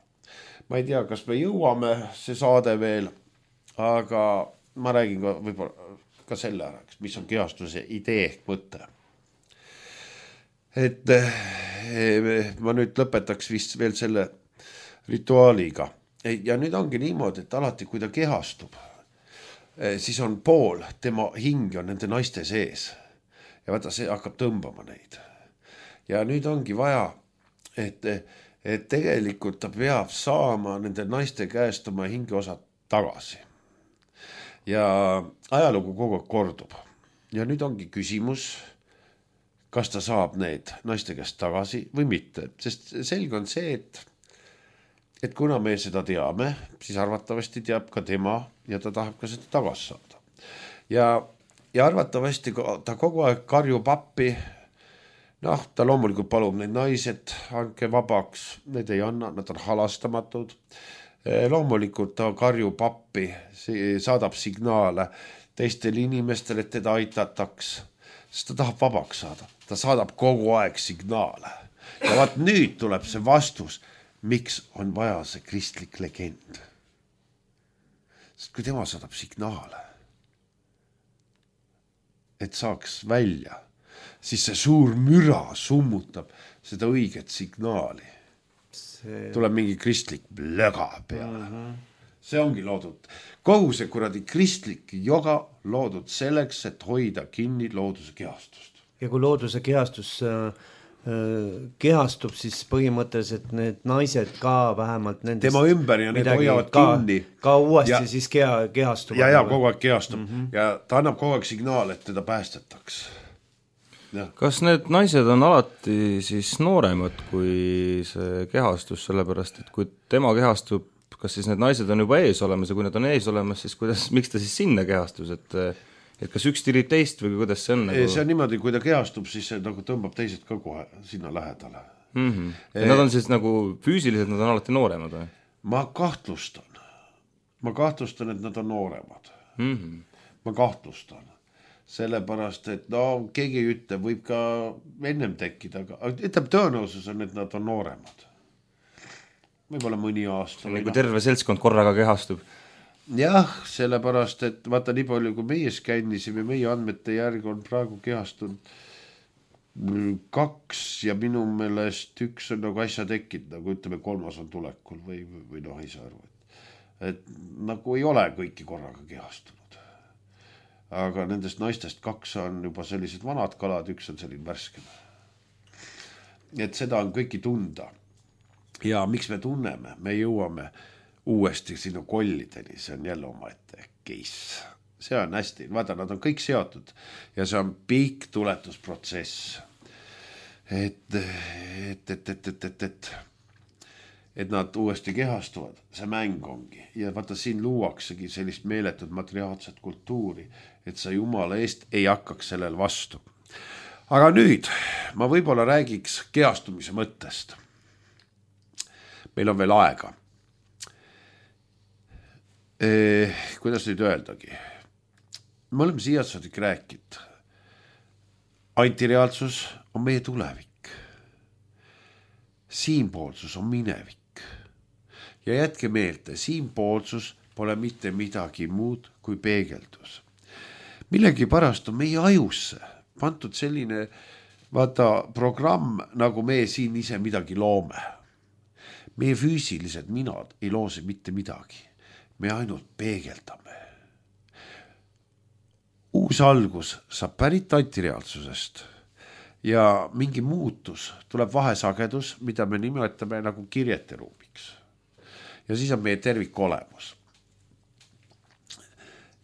Ma ei tea, kas me jõuame see saade veel, aga ma räägin ka võib-olla ka selle ära, mis on kehastuse idee ehk mõte. Et ma nüüd lõpetaks vist veel selle rituaaliga. Ja nüüd ongi niimoodi, et alati kui ta kehastub, siis on pool tema hing on nende naiste sees. Ja vaata, see hakkab tõmbama neid. Ja nüüd ongi vaja, et, et tegelikult ta peab saama nende naiste käest oma hingeosad tagasi. Ja ajalugu kogu aeg kordub. Ja nüüd ongi küsimus, kas ta saab need naiste käest tagasi või mitte. Sest selge on see, et, et kuna me seda teame, siis arvatavasti teab ka tema ja ta tahab ka seda tagasi saada. Ja, ja arvatavasti ta kogu aeg karjub appi. Noh, ta loomulikult palub neid naised, andke vabaks, need ei anna, nad on halastamatud. Loomulikult ta karjub appi, saadab signaale teistele inimestele, et teda aitataks, sest ta tahab vabaks saada. Ta saadab kogu aeg signaale. Ja vaat nüüd tuleb see vastus, miks on vaja see kristlik legend. Sest kui tema saadab signaale, et saaks välja, siis see suur müra summutab seda õiget signaali. Tuleb mingi kristlik löga peale. Mm-hmm. See ongi loodud. Kogu see kuradi kristlik joga loodud selleks, et hoida kinni looduse kehastust. Ja kui looduse kehastus äh, kehastub, siis põhimõtteliselt need naised ka vähemalt nendest tema ümber ja need hoiavad ka, kinni. Ka uuesti ja, siis keha, kehastuvad. Ja, ja kogu aeg kehastub. Mm-hmm. Ja ta annab kogu aeg signaal, et teda päästetaks. Ja. Kas need naised on alati siis nooremad kui see kehastus, sellepärast, et kui tema kehastub, kas siis need naised on juba ees olemas ja kui need on ees olemas, siis kuidas, miks ta siis sinna kehastus, et, et kas üks tirib teist või kuidas see on? Nagu... See on niimoodi, kui ta kehastub, siis see nagu tõmbab teised ka kohe sinna lähedale. Mm-hmm. Ja nad on siis nagu füüsiliselt, nad on alati nooremad või? Ma kahtlustan. Ma kahtlustan, et nad on nooremad. Mm-hmm. Ma kahtlustan. Sellepärast, et no keegi ei ütle, võib ka ennem tekkida, aga ütleb tõenäosus on, et nad on nooremad. Võib-olla mõni aasta. Kui terve seltskond korraga kehastub. Jah, sellepärast, et vaata nii palju, kui meie skännisime, meie andmete järgi on praegu kehastunud kaks ja minu meelest üks on nagu asja tekkinud, nagu ütleme kolmas on tulekul või, või, või noh, ei saa aru. Et, et nagu ei ole kõiki korraga kehastunud. Aga nendest naistest kaks on juba sellised vanad kalad, üks on selline värskem. Et seda on kõiki tunda. Ja miks me tunneme? Me jõuame uuesti sinu kollideni, see on jälle omaette case. See on hästi, vaata, nad on kõik seotud ja see on pikk tuletusprotsess. Et, et, et, et, et, et, et, et nad uuesti kehastuvad, see mäng ongi. Ja vaata, siin luuaksegi sellist meeletut materiaalset kultuuri, et sa Jumala eest ei hakkaks sellel vastu. Aga nüüd ma võib-olla räägiks kehastumise mõttest. Meil on veel aega. Eh, kuidas nüüd öeldagi? Me oleme siiasaadik rääkinud. Antireaalsus on meie tulevik. Siinpoolsus on minevik. Ja jätke meelde, siinpoolsus pole mitte midagi muud kui peegeldus. Millegi pärast on meie ajusse pantud selline vaata, programm, nagu me siin ise midagi loome. Meie füüsilised minad ei loose mitte midagi. Me ainult peegeldame. Uus algus saab pärit antireaalsusest ja mingi muutus, tuleb vahesagedus, mida me nimetame nagu kirjeteruumiks. Ja siis on meie tervik olemus.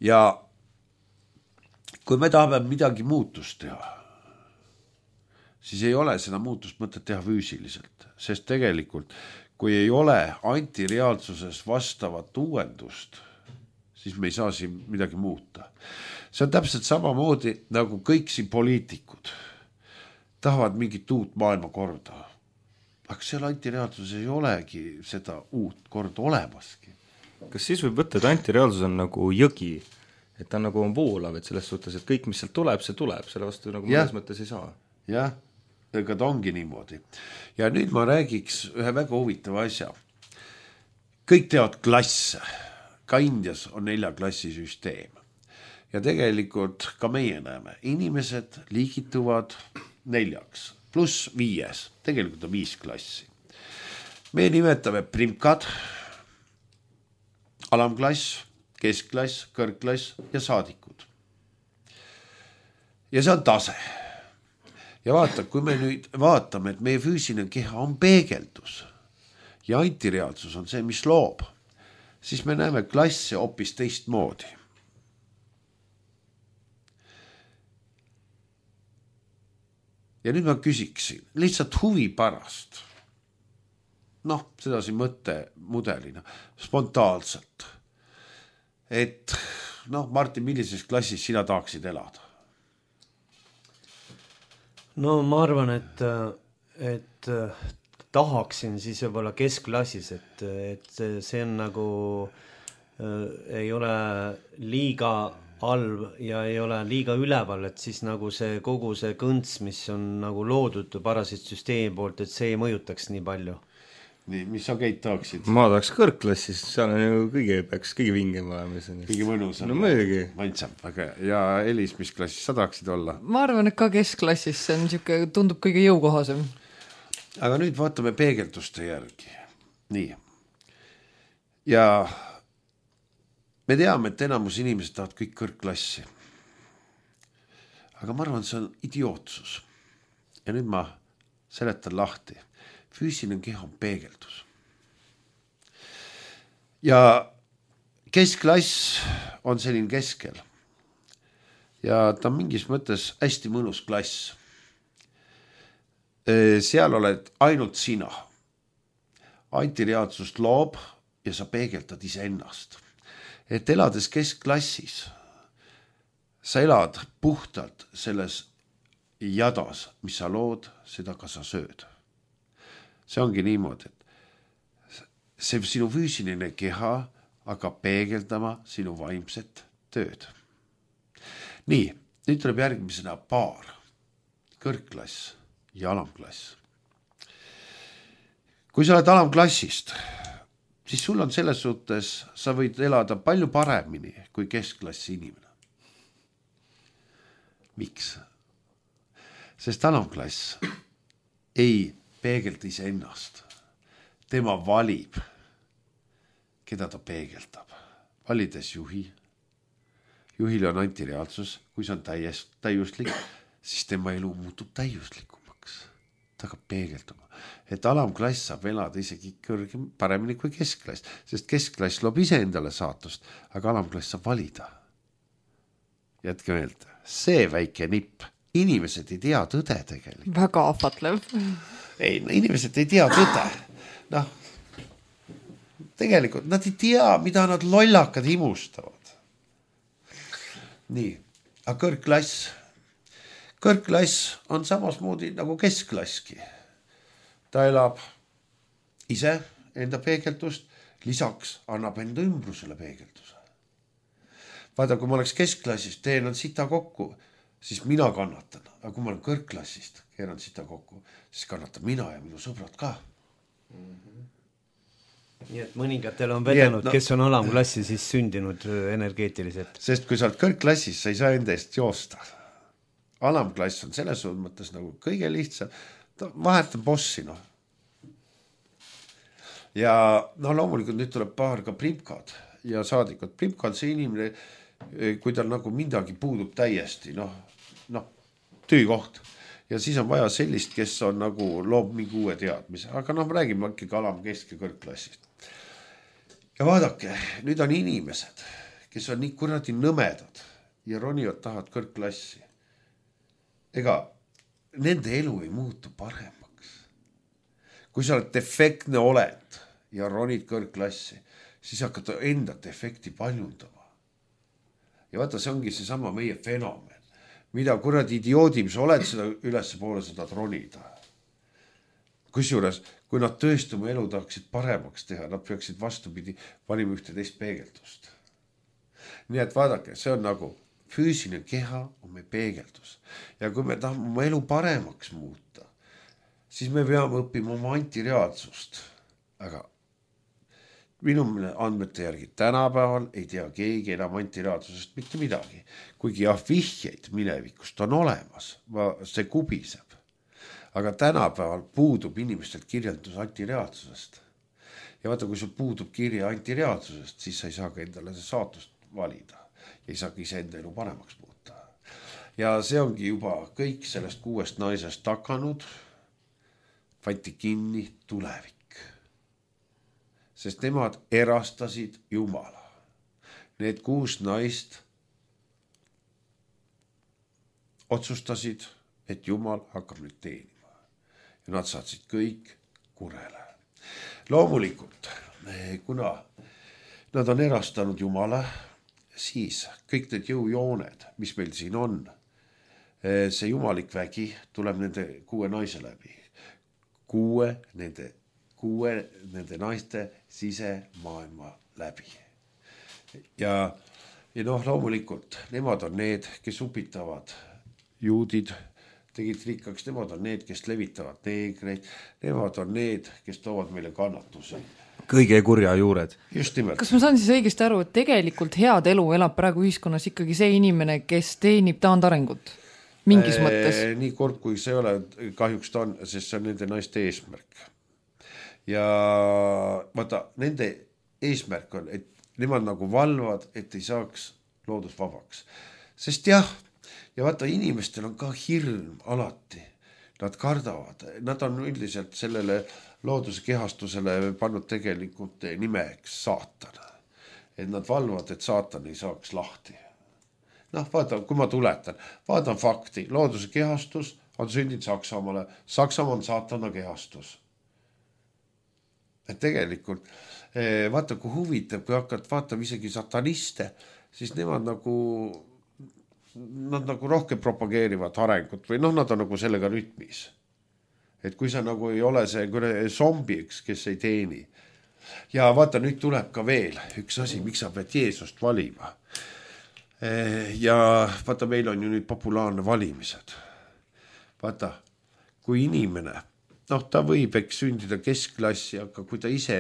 Ja kui me tahame midagi muutust teha, siis ei ole seda muutust mõtet teha füüsiliselt, sest tegelikult kui ei ole antireaalsuses vastavat uuendust, siis me ei saa siin midagi muuta. See on täpselt samamoodi nagu kõik siin poliitikud tahavad mingit uut maailmakorda. Aga seal antireaalsuses ei olegi seda uut korda olemaski. Kas siis võib võtta, et antireaalsus on nagu jõgi, et ta on nagu on voolav, et selles suhtes, et kõik, mis sealt tuleb, see tuleb, selle vastu nagu mõnes mõttes ei saa. Jah, ega ta ongi niimoodi. Ja nüüd ma räägiks ühe väga huvitava asja. Kõik teavad klasse. Ka Indias on nelja klassi süsteem. Ja tegelikult ka meie näeme, inimesed liigituvad neljaks, pluss viies, tegelikult on viis klassi. Me nimetame primkad, alamklass, keskklass, kõrgklass ja saadikud. Ja see on tase. Ja vaata, kui me nüüd vaatame, et meie füüsiline keha on peegeldus ja antireaalsus on see, mis loob, siis me näeme klasse hoopis teistmoodi. Ja nüüd ma küsiksin, lihtsalt huvi pärast, noh, seda siin mõtte mudelina, spontaanselt, et noh, Martin, millises klassis sina tahaksid elada? No ma arvan, et, et tahaksin siis võib-olla keskklassis, et, et see on nagu äh, ei ole liiga halb ja ei ole liiga üleval, et siis nagu see kogu see kõnts, mis on nagu loodud parasitsüsteemi poolt, et see ei mõjutaks nii palju. Nii, mis sa Keit tahaksid? Ma tahaks kõrgklassis, seal on ju kõige, peaks kõige vingem olema. Kõige mõnus. No mõjugi. Mantsam, aga ja Elis, mis klassis sa tahaksid olla? Ma arvan, et ka keskklassis, see on siuke, tundub kõige jõukohasem. Aga nüüd vaatame peegelduste järgi. Nii. Ja me teame, et enamus inimesed tahavad kõik kõrgklassi. Aga ma arvan, see on idiootsus. Ja nüüd ma seletan lahti. Füüsiline keha on peegeldus. Ja keskklass on selline keskel. Ja ta on mingis mõttes hästi mõnus klass. Seal oled ainult sina. Antireaalsust loob ja sa peegeldad ise ennast. Et elades keskklassis, sa elad puhtalt selles jadas, mis sa lood, seda ka sa sööd. See ongi niimoodi, et see sinu füüsiline keha hakkab peegeldama sinu vaimset tööd. Nii, nüüd tuleb järgmisena paar, kõrgklass ja alamklass. Kui sa oled alamklassist, siis sul on selles suhtes, sa võid elada palju paremini kui keskklassi inimene. Miks? Sest alamklass ei peegelda ise ennast. Tema valib, keda ta peegeldab. Valides juhi. Juhil on antireaalsus, kui see on täies, täiuslik, siis tema elu muutub täiuslikumaks. Ta hakkab peegelduma. Et alamklass saab elada isegi kõrgem, paremini kui keskklass, sest keskklass loob ise endale saatust, aga alamklass saab valida. Jätke meelde, see väike nipp. Inimesed ei tea tõde tegelikult. Väga ahvatlev. Ei, inimesed ei tea tõde. Noh, tegelikult nad ei tea, mida nad lollakad imustavad. Nii, aga kõrgklass. Kõrgklass on samasmoodi nagu keskklaski. Ta elab ise enda peegeldust, lisaks annab enda ümbrusele peegelduse. Vaata, kui ma oleks keskklassist, teen on sita kokku, siis mina kannatan. Aga kui ma olen kõrgklassist, keeran sita kokku, siis kannatan mina ja minu sõbrad ka. Mm-hmm. Nii et mõningatel on vedanud, no, kes on alamklassi siis sündinud energeetiliselt. Sest kui sa oled kõrgklassis, sa ei saa enda eest joosta. Alamklass on selles mõttes nagu kõige lihtsam. Ta vahetab bossi, noh. Ja no loomulikult nüüd tuleb paar ka primkad ja saadikud. Primkad see inimene, kui tal nagu midagi puudub täiesti, noh, noh, tüü koht. ja siis on vaja sellist, kes on nagu loob mingi uue teadmise, aga noh, me räägime ikkagi alama kesk- ja kõrgklassist. Ja vaadake, nüüd on inimesed, kes on nii kuradi nõmedad ja ronivad tahavad kõrgklassi. Ega nende elu ei muutu paremaks. Kui sa oled defektne oled ja ronid kõrgklassi, siis hakkad enda defekti paljundama. Ja vaata, see ongi see sama meie fenomen. Mida kuradi idioodim sa oled, seda ülesse poole seda ronida. Kusjuures, kui nad tõesti oma elu tahaksid paremaks teha, nad peaksid vastupidi valima ühte teist peegeldust. Nii et vaadake, see on nagu füüsiline keha on meie peegeldus. Ja kui me tahame oma elu paremaks muuta, siis me peame õppima oma antireaalsust. Aga minu andmete järgi tänapäeval ei tea keegi enam antireaalsusest mitte midagi. Kuigi jah, vihjeid minevikust on olemas, see kubiseb. Aga tänapäeval puudub inimestelt kirjeldus antireaalsusest. Ja vaata, kui sul puudub kirja antireaalsusest, siis sa ei saa ka endale see saatust valida. Ja ei saa ka ise enda elu paremaks muuta. Ja see ongi juba kõik sellest kuuest naisest takanud, võeti kinni tulevik. Sest nemad erastasid Jumala. Need kuus naist otsustasid, et Jumal hakkab nüüd teenima. Ja nad saatsid kõik kurele. Loomulikult, kuna nad on erastanud Jumala, siis kõik need jõujooned, mis meil siin on, see jumalik vägi tuleb nende kuue naise läbi. Kuue nende kuue nende naiste sisemaailma läbi. Ja, ja noh, loomulikult, nemad on need, kes upitavad juudid, tegid rikkaks, nemad on need, kes levitavad neegreid, nemad on need, kes toovad meile kannatusi. Kõige kurja juured. Just nimelt. Kas ma saan siis õigesti aru, et tegelikult head elu elab praegu ühiskonnas ikkagi see inimene, kes teenib taandarengut? Mingis mõttes? Nii kord, kui see ole, kahjuks ta on, sest see on nende naiste eesmärk. Ja vaata, nende eesmärk on, et nemad nagu valvad, et ei saaks loodus vabaks. Sest jah, ja vaata, inimestel on ka hirm alati. Nad kardavad, nad on üldiselt sellele looduse kehastusele pannud tegelikult nimeks saatan. Et nad valvad, et saatan ei saaks lahti. Noh, vaata, kui ma tuletan, vaatan fakti, looduse kehastus on sündinud Saksamaale, Saksamaa on saatana kehastus. Et tegelikult, vaata, kui huvitab, kui hakkad vaatama isegi sataniste, siis nemad nagu, nad nagu rohkem propageerivad arengut või noh, nad on nagu sellega rütmis. Et kui sa nagu ei ole see zombiks, kes ei teeni. Ja vaata, nüüd tuleb ka veel üks asi, miks sa pead Jeesust valima. Ja vaata, meil on ju nüüd populaarne valimised. Vaata, kui inimene noh, ta võib eks sündida keskklassi, aga kui ta ise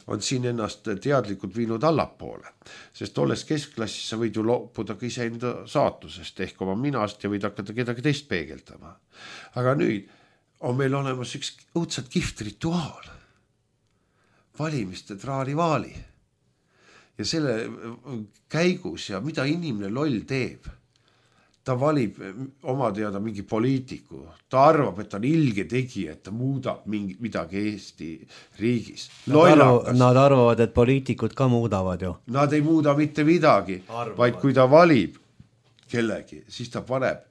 on siin ennast teadlikult viinud allapoole, sest olles keskklassis sa võid ju loopuda ka ise enda saatusest ehk oma minast ja võid hakata kedagi teist peegeldama. Aga nüüd on meil olemas üks õudselt kihvt rituaal. Valimiste traarivaali. Ja selle käigus ja mida inimene loll teeb, ta valib oma teada mingi poliitiku. Ta arvab, et ta on ilge tegija, et ta muudab mingi, midagi Eesti riigis. Nad, arv, nad arvavad, et poliitikud ka muudavad ju. Nad ei muuda mitte midagi, arvavad. Vaid kui ta valib kellegi, siis ta paneb,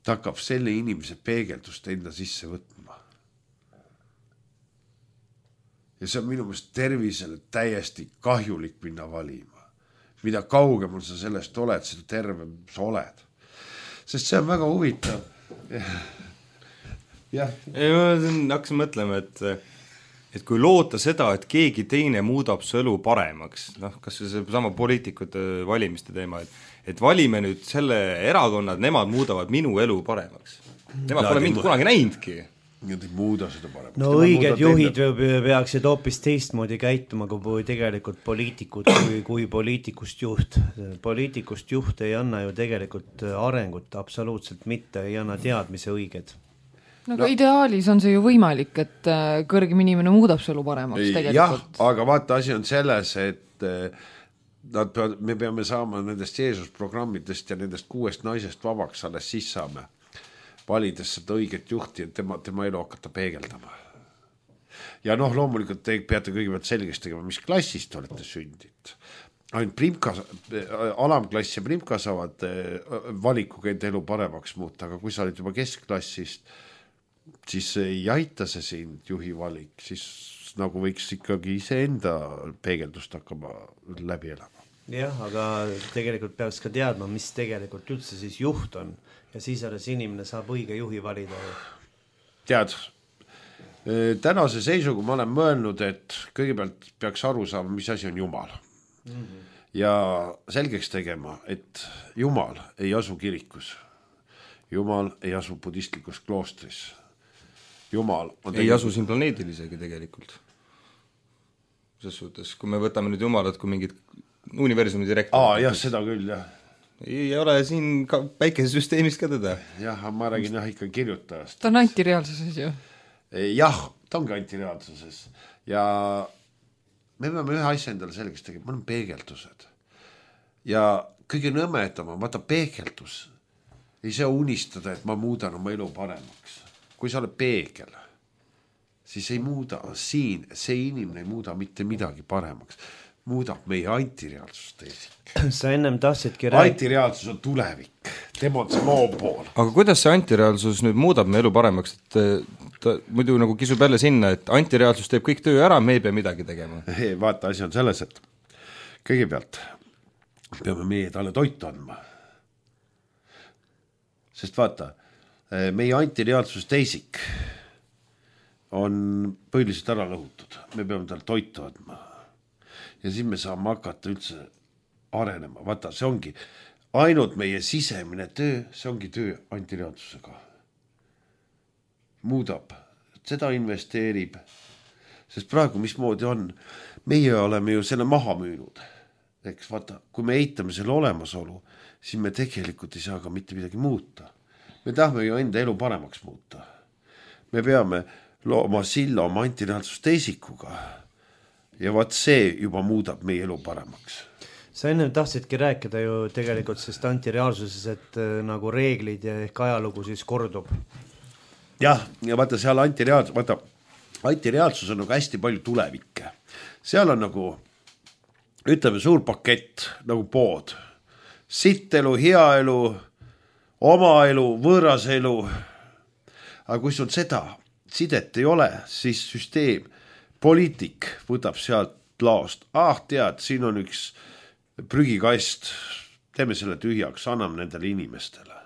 ta hakkab selle inimese peegeldust enda sisse võtma. Ja see on minu meelest tervisele täiesti kahjulik minna valima. Mida kaugemal sa sellest oled, seda tervem sa oled. Sest see on väga huvitav. Ja. Ei, ma hakkasin mõtlema, et, et kui loota seda, et keegi teine muudab su elu paremaks, noh, kas see sama poliitikute valimiste teema, et, et valime nüüd selle erakonnad, nemad muudavad minu elu paremaks. Nemad pole mind kunagi näinudki. Nad ei muuda seda paremaks. No Tema õiged juhid enda... peaksid hoopis teistmoodi käituma kui tegelikult poliitikud, kui, kui poliitikust juht. Poliitikust juht ei anna ju tegelikult arengut absoluutselt mitte, ei anna teadmise õiged. No, no ideaalis on see ju võimalik, et kõrgem inimene muudab selle paremaks tegelikult. Jah, aga vaata, asi on selles, et nad peavad, me peame saama nendest Jeesus programmidest ja nendest kuuest naisest vabaks, alles siis saame valides seda õiget juhti, et tema, tema elu hakata peegeldama. Ja noh, loomulikult te peate kõigepealt selgeks tegema, mis klassist olete sündid. Ainult primka, alamklass ja primka saavad valikuga enda elu paremaks muuta, aga kui sa oled juba keskklassist, siis ei aita see sind juhi valik, siis nagu võiks ikkagi iseenda peegeldust hakkama läbi elama. Jah, aga tegelikult peaks ka teadma, mis tegelikult üldse siis juht on ja siis alles inimene saab õige juhi valida. Tead, tänase seisuga ma olen mõelnud, et kõigepealt peaks aru saama, mis asi on Jumal. Mm-hmm. Ja selgeks tegema, et Jumal ei asu kirikus. Jumal ei asu budistlikus kloostris. Jumal on ei asu siin planeedil isegi tegelikult. Ses suhtes, kui me võtame nüüd Jumalat kui mingid universumi direktor. Aa, jah, seda küll, jah. Ei ole siin ka päikesesüsteemist ka teda. Jah, ma räägin jah ikka kirjutajast. Ta on antireaalsuses ju. Jah, ta on ka antireaalsuses. Ja me peame ühe asja endale selgeks tegema, ma olen peegeldused. Ja kõige nõmedama, vaata peegeldus. Ei saa unistada, et ma muudan oma elu paremaks. Kui sa oled peegel, siis ei muuda siin, see inimene ei muuda mitte midagi paremaks. Muudab meie antireaalsust teisik. Sa ennem tahtsidki rääk... Antireaalsus on tulevik, tema on see loo pool. Aga kuidas see antireaalsus nüüd muudab meie elu paremaks? Et ta muidu nagu kisub jälle sinna, et antireaalsus teeb kõik töö ära, me ei pea midagi tegema. Ei, vaata, asi on selles, et kõigepealt peame meie talle toitu andma. Sest vaata, meie antireaalsus teisik on põhiliselt ära lõhutud. Me peame talle toitu andma. Ja siis me saame hakata üldse arenema. Vaata, see ongi ainult meie sisemine töö, see ongi töö antireaalsusega. Muudab, seda investeerib. Sest praegu mismoodi on, meie oleme ju selle maha müünud. Eks vaata, kui me eitame selle olemasolu, siis me tegelikult ei saa ka mitte midagi muuta. Me tahame ju enda elu paremaks muuta. Me peame looma silla oma antireaalsus teisikuga. Ja vaat see juba muudab meie elu paremaks. Sa ennem tahtsidki rääkida ju tegelikult sest antireaalsuses, et nagu reeglid ja ehk ajalugu siis kordub. Jah, ja vaata seal antireaalsus, vaata, antireaalsus on nagu hästi palju tulevikke. Seal on nagu, ütleme, suur pakett, nagu pood. Sitt elu, hea elu, oma elu, võõras elu. Aga kui sul seda sidet ei ole, siis süsteem, poliitik võtab sealt laost. Ah, tead, siin on üks prügikast, teeme selle tühjaks, anname nendele inimestele.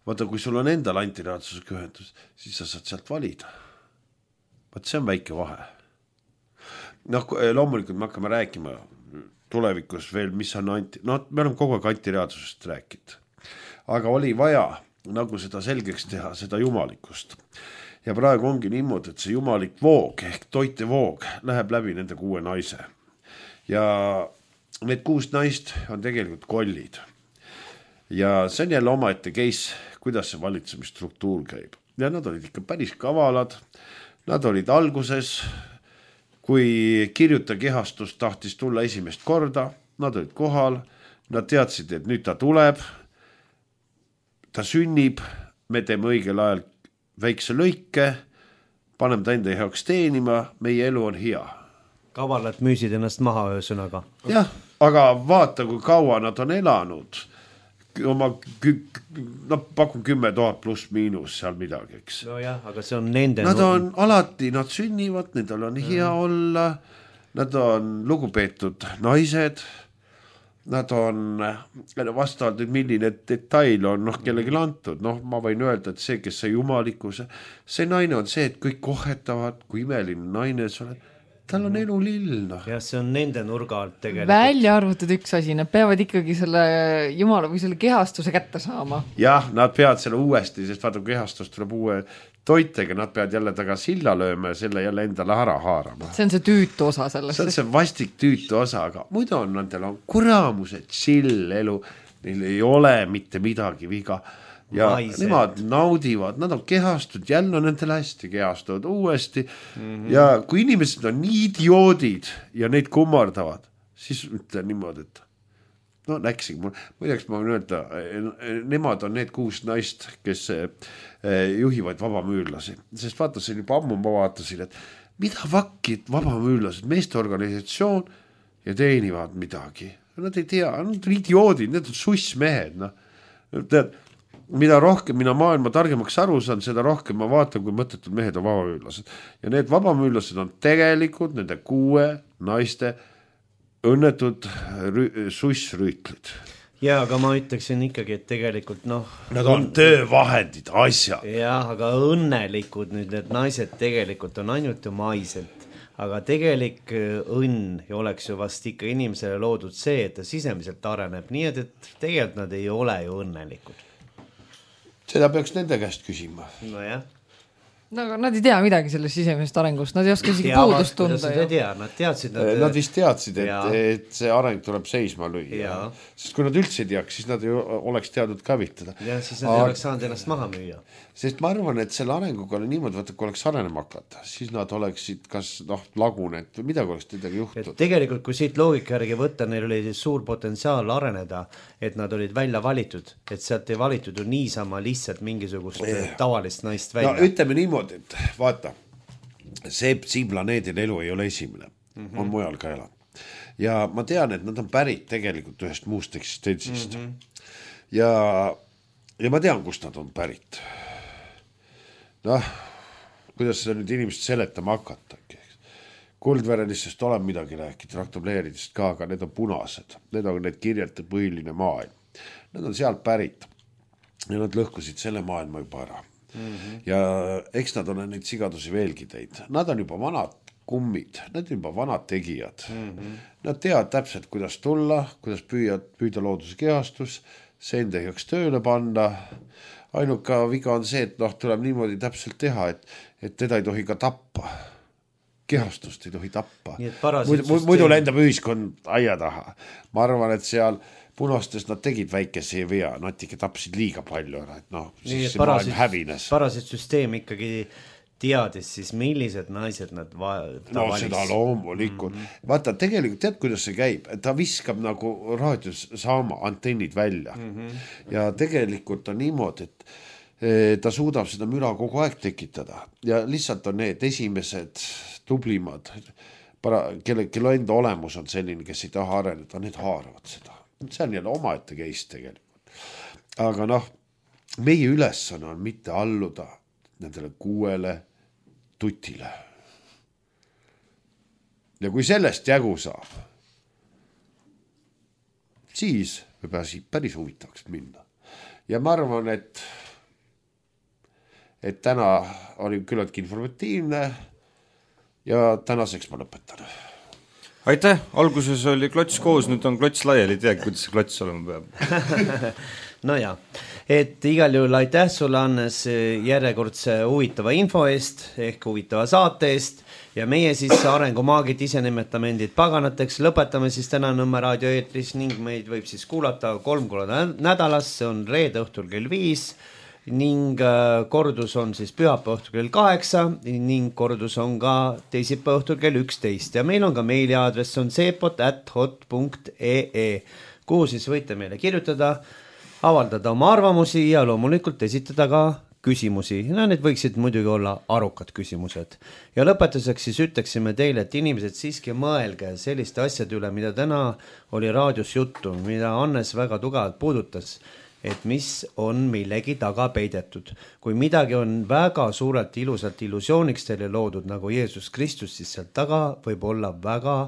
Vaata, kui sul on endal antireaalsusega ühendus, siis sa saad sealt valida. Vaat see on väike vahe. Noh, loomulikult me hakkame rääkima tulevikus veel, mis on anti... No, me oleme kogu aeg antireaalsusest rääkinud. Aga oli vaja nagu seda selgeks teha, seda jumalikust. Ja praegu ongi niimoodi, et see jumalik voog ehk toite voog läheb läbi nende kuue naise. Ja need kuus naist on tegelikult kollid. Ja see on jälle omaette case, kuidas see valitsemisstruktuur käib. Ja nad olid ikka päris kavalad. Nad olid alguses, kui kirjuta kehastus tahtis tulla esimest korda, nad olid kohal, nad teadsid, et nüüd ta tuleb, ta sünnib, me teeme õigel ajal väikse lõike, paneme ta enda heaks teenima, meie elu on hea. Kavalad müüsid ennast maha öösõnaga. Jah, aga vaata, kui kaua nad on elanud. Oma, no pakun kümme tuhat pluss miinus seal midagi, eks. No jah, aga see on nende... Nad on alati, nad sünnivad, nendel on hea mm. olla, nad on lugupeetud naised, nad on vastavalt, milline detail on noh, kellelegi antud. Noh, ma võin öelda, et see, kes see jumalikkuse, see naine on see, et kõik kohetavad, kui imeline naine see oled. Tal on elu lill. No. Ja see on nende nurga alt tegelikult. Välja arvutud üks asi, nad peavad ikkagi selle jumala või selle kehastuse kätte saama. Jah, nad peavad selle uuesti, sest vaata, kehastus tuleb uue toitega, nad peavad jälle taga silla lööma ja selle jälle endale ära haarama. See on see tüütu osa sellest. See on see vastik tüütu osa, aga muidu on nendel on kuramuse chill elu, neil ei ole mitte midagi viga. Ja Maise. Nemad naudivad, nad on kehastud, jälle on nendel hästi kehastuvad uuesti. Mm-hmm. Ja kui inimesed on nii idioodid ja neid kummardavad, siis ütle niimoodi, et no läksin, muideks ma võin öelda, nemad on need kuus naist, kes juhivad vabamüürlasi, sest vaatasin juba ammu, ma vaatasin, et mida vakid vabamüürlased, meesteorganisatsioon ja teenivad midagi. Nad ei tea, nad on idioodid, need on sussmehed. No. Tead, mida rohkem mina maailma targemaks aru saan, seda rohkem ma vaatan, kui mõttetud mehed on vabamüürlased. Ja need vabamüürlased on tegelikult nende kuue naiste õnnetud rü- sussrüütlid. Ja, aga ma ütleksin ikkagi, et tegelikult noh... Nad on töövahendid, asjad. Jah, aga õnnelikud nüüd need naised tegelikult on ainult ju maiselt. Aga tegelik õnn oleks ju vast ikka inimesele loodud see, et ta sisemiselt areneb. Nii et, et tegelikult nad ei ole ju õnnelikud. Seda peaks nende käest küsima. No jah. No nad ei tea midagi sellest sisemist arengust, nad ei oska isegi puudust tunda. Nad ei tea, nad teadsid. Nad, nad vist teadsid, et, et see areng tuleb seisma lüüa. Sest kui nad üldse ei teaks, siis nad ju oleks teadnud kavitada. Ja siis nad ei oleks saanud ennast maha müüa. Sest ma arvan, et selle arenguga oli niimoodi, vaata, kui oleks arenema hakata, siis nad oleksid kas noh, lagunenud või midagi oleks midagi juhtunud. Tegelikult, kui siit loogika järgi võtta, neil oli suur potentsiaal areneda, et nad olid välja valitud, et sealt ei valitud ju niisama lihtsalt mingisugust yeah. tavalist naist välja. No ütleme niimoodi, et vaata, see siin planeedil elu ei ole esimene, mm-hmm. on mujal ka elanud. Ja ma tean, et nad on pärit tegelikult ühest muust eksistentsist. Mm-hmm. Ja, ja ma tean, kust nad on pärit. Noh, kuidas seda nüüd inimesed seletama hakata. Kuldverenistest olen midagi rääkinud, raktobleeridest ka, aga need on punased. Need on need kirjate põhiline maailm. Need on sealt pärit. Ja nad lõhkusid selle maailma juba ära. Mm-hmm. Ja eks nad on neid sigadusi veelgi teid. Nad on juba vanad kummid, nad on juba vanad tegijad. Mm-hmm. Nad teavad täpselt, kuidas tulla, kuidas püüa, püüda looduse kehastus, see enda heaks tööle panna. Ainuka viga on see, et noh, tuleb niimoodi täpselt teha, et, et teda ei tohi ka tappa. Kehastust ei tohi tappa. Muidu, muidu lendab ühiskond aia taha. Ma arvan, et seal punastes nad tegid väikese vea, nad ikka tapsid liiga palju, et noh, siis see maailm hävines. Parasit süsteem ikkagi teadis siis, millised naised nad va- no valis. Seda loomulikult. Mm-hmm. Vaata, tegelikult tead, kuidas see käib. Ta viskab nagu raadios saama antennid välja. Mm-hmm. Ja tegelikult on niimoodi, et ta suudab seda müra kogu aeg tekitada. Ja lihtsalt on need esimesed tublimad, para, kelle, kelle enda olemus on selline, kes ei taha areneda, need haaravad seda. See on jälle omaette case tegelikult. Aga noh, meie ülesanne on mitte alluda nendele kuuele tutile. Ja kui sellest jagu saab, siis võib päris huvitavaks minna. Ja ma arvan, et et täna oli küllaltki informatiivne ja tänaseks ma lõpetan. Aitäh, alguses oli klots koos, nüüd on klots laiali, ei teagi, kuidas see klots olema peab. No ja, et igal juhul aitäh sulle, Annes, järjekordse huvitava info eest ehk huvitava saate eest ja meie siis arengumaagid ise nimetame endid paganateks, lõpetame siis täna Nõmme raadio eetris ning meid võib siis kuulata kolm korda nädalas, see on reede õhtul kell viis ning kordus on siis pühapäeva õhtul kell kaheksa ning kordus on ka teisipäeva õhtul kell üksteist ja meil on ka meiliaadress on seepot at hot punkt ee, kuhu siis võite meile kirjutada, avaldada oma arvamusi ja loomulikult esitada ka küsimusi. No, need võiksid muidugi olla arukad küsimused. Ja lõpetuseks siis ütleksime teile, et inimesed siiski mõelge selliste asjade üle, mida täna oli raadios juttu, mida Annes väga tugevalt puudutas, et mis on millegi taga peidetud. Kui midagi on väga suurelt ilusalt illusiooniks teile loodud nagu Jeesus Kristus, siis sealt taga võib olla väga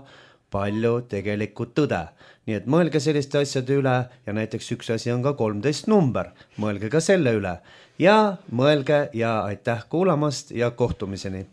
palju tegelikku tõde. Nii et mõelge selliste asjade üle ja näiteks üks asi on ka kolmteist number. Mõelge ka selle üle ja mõelge ja aitäh kuulamast ja kohtumiseni.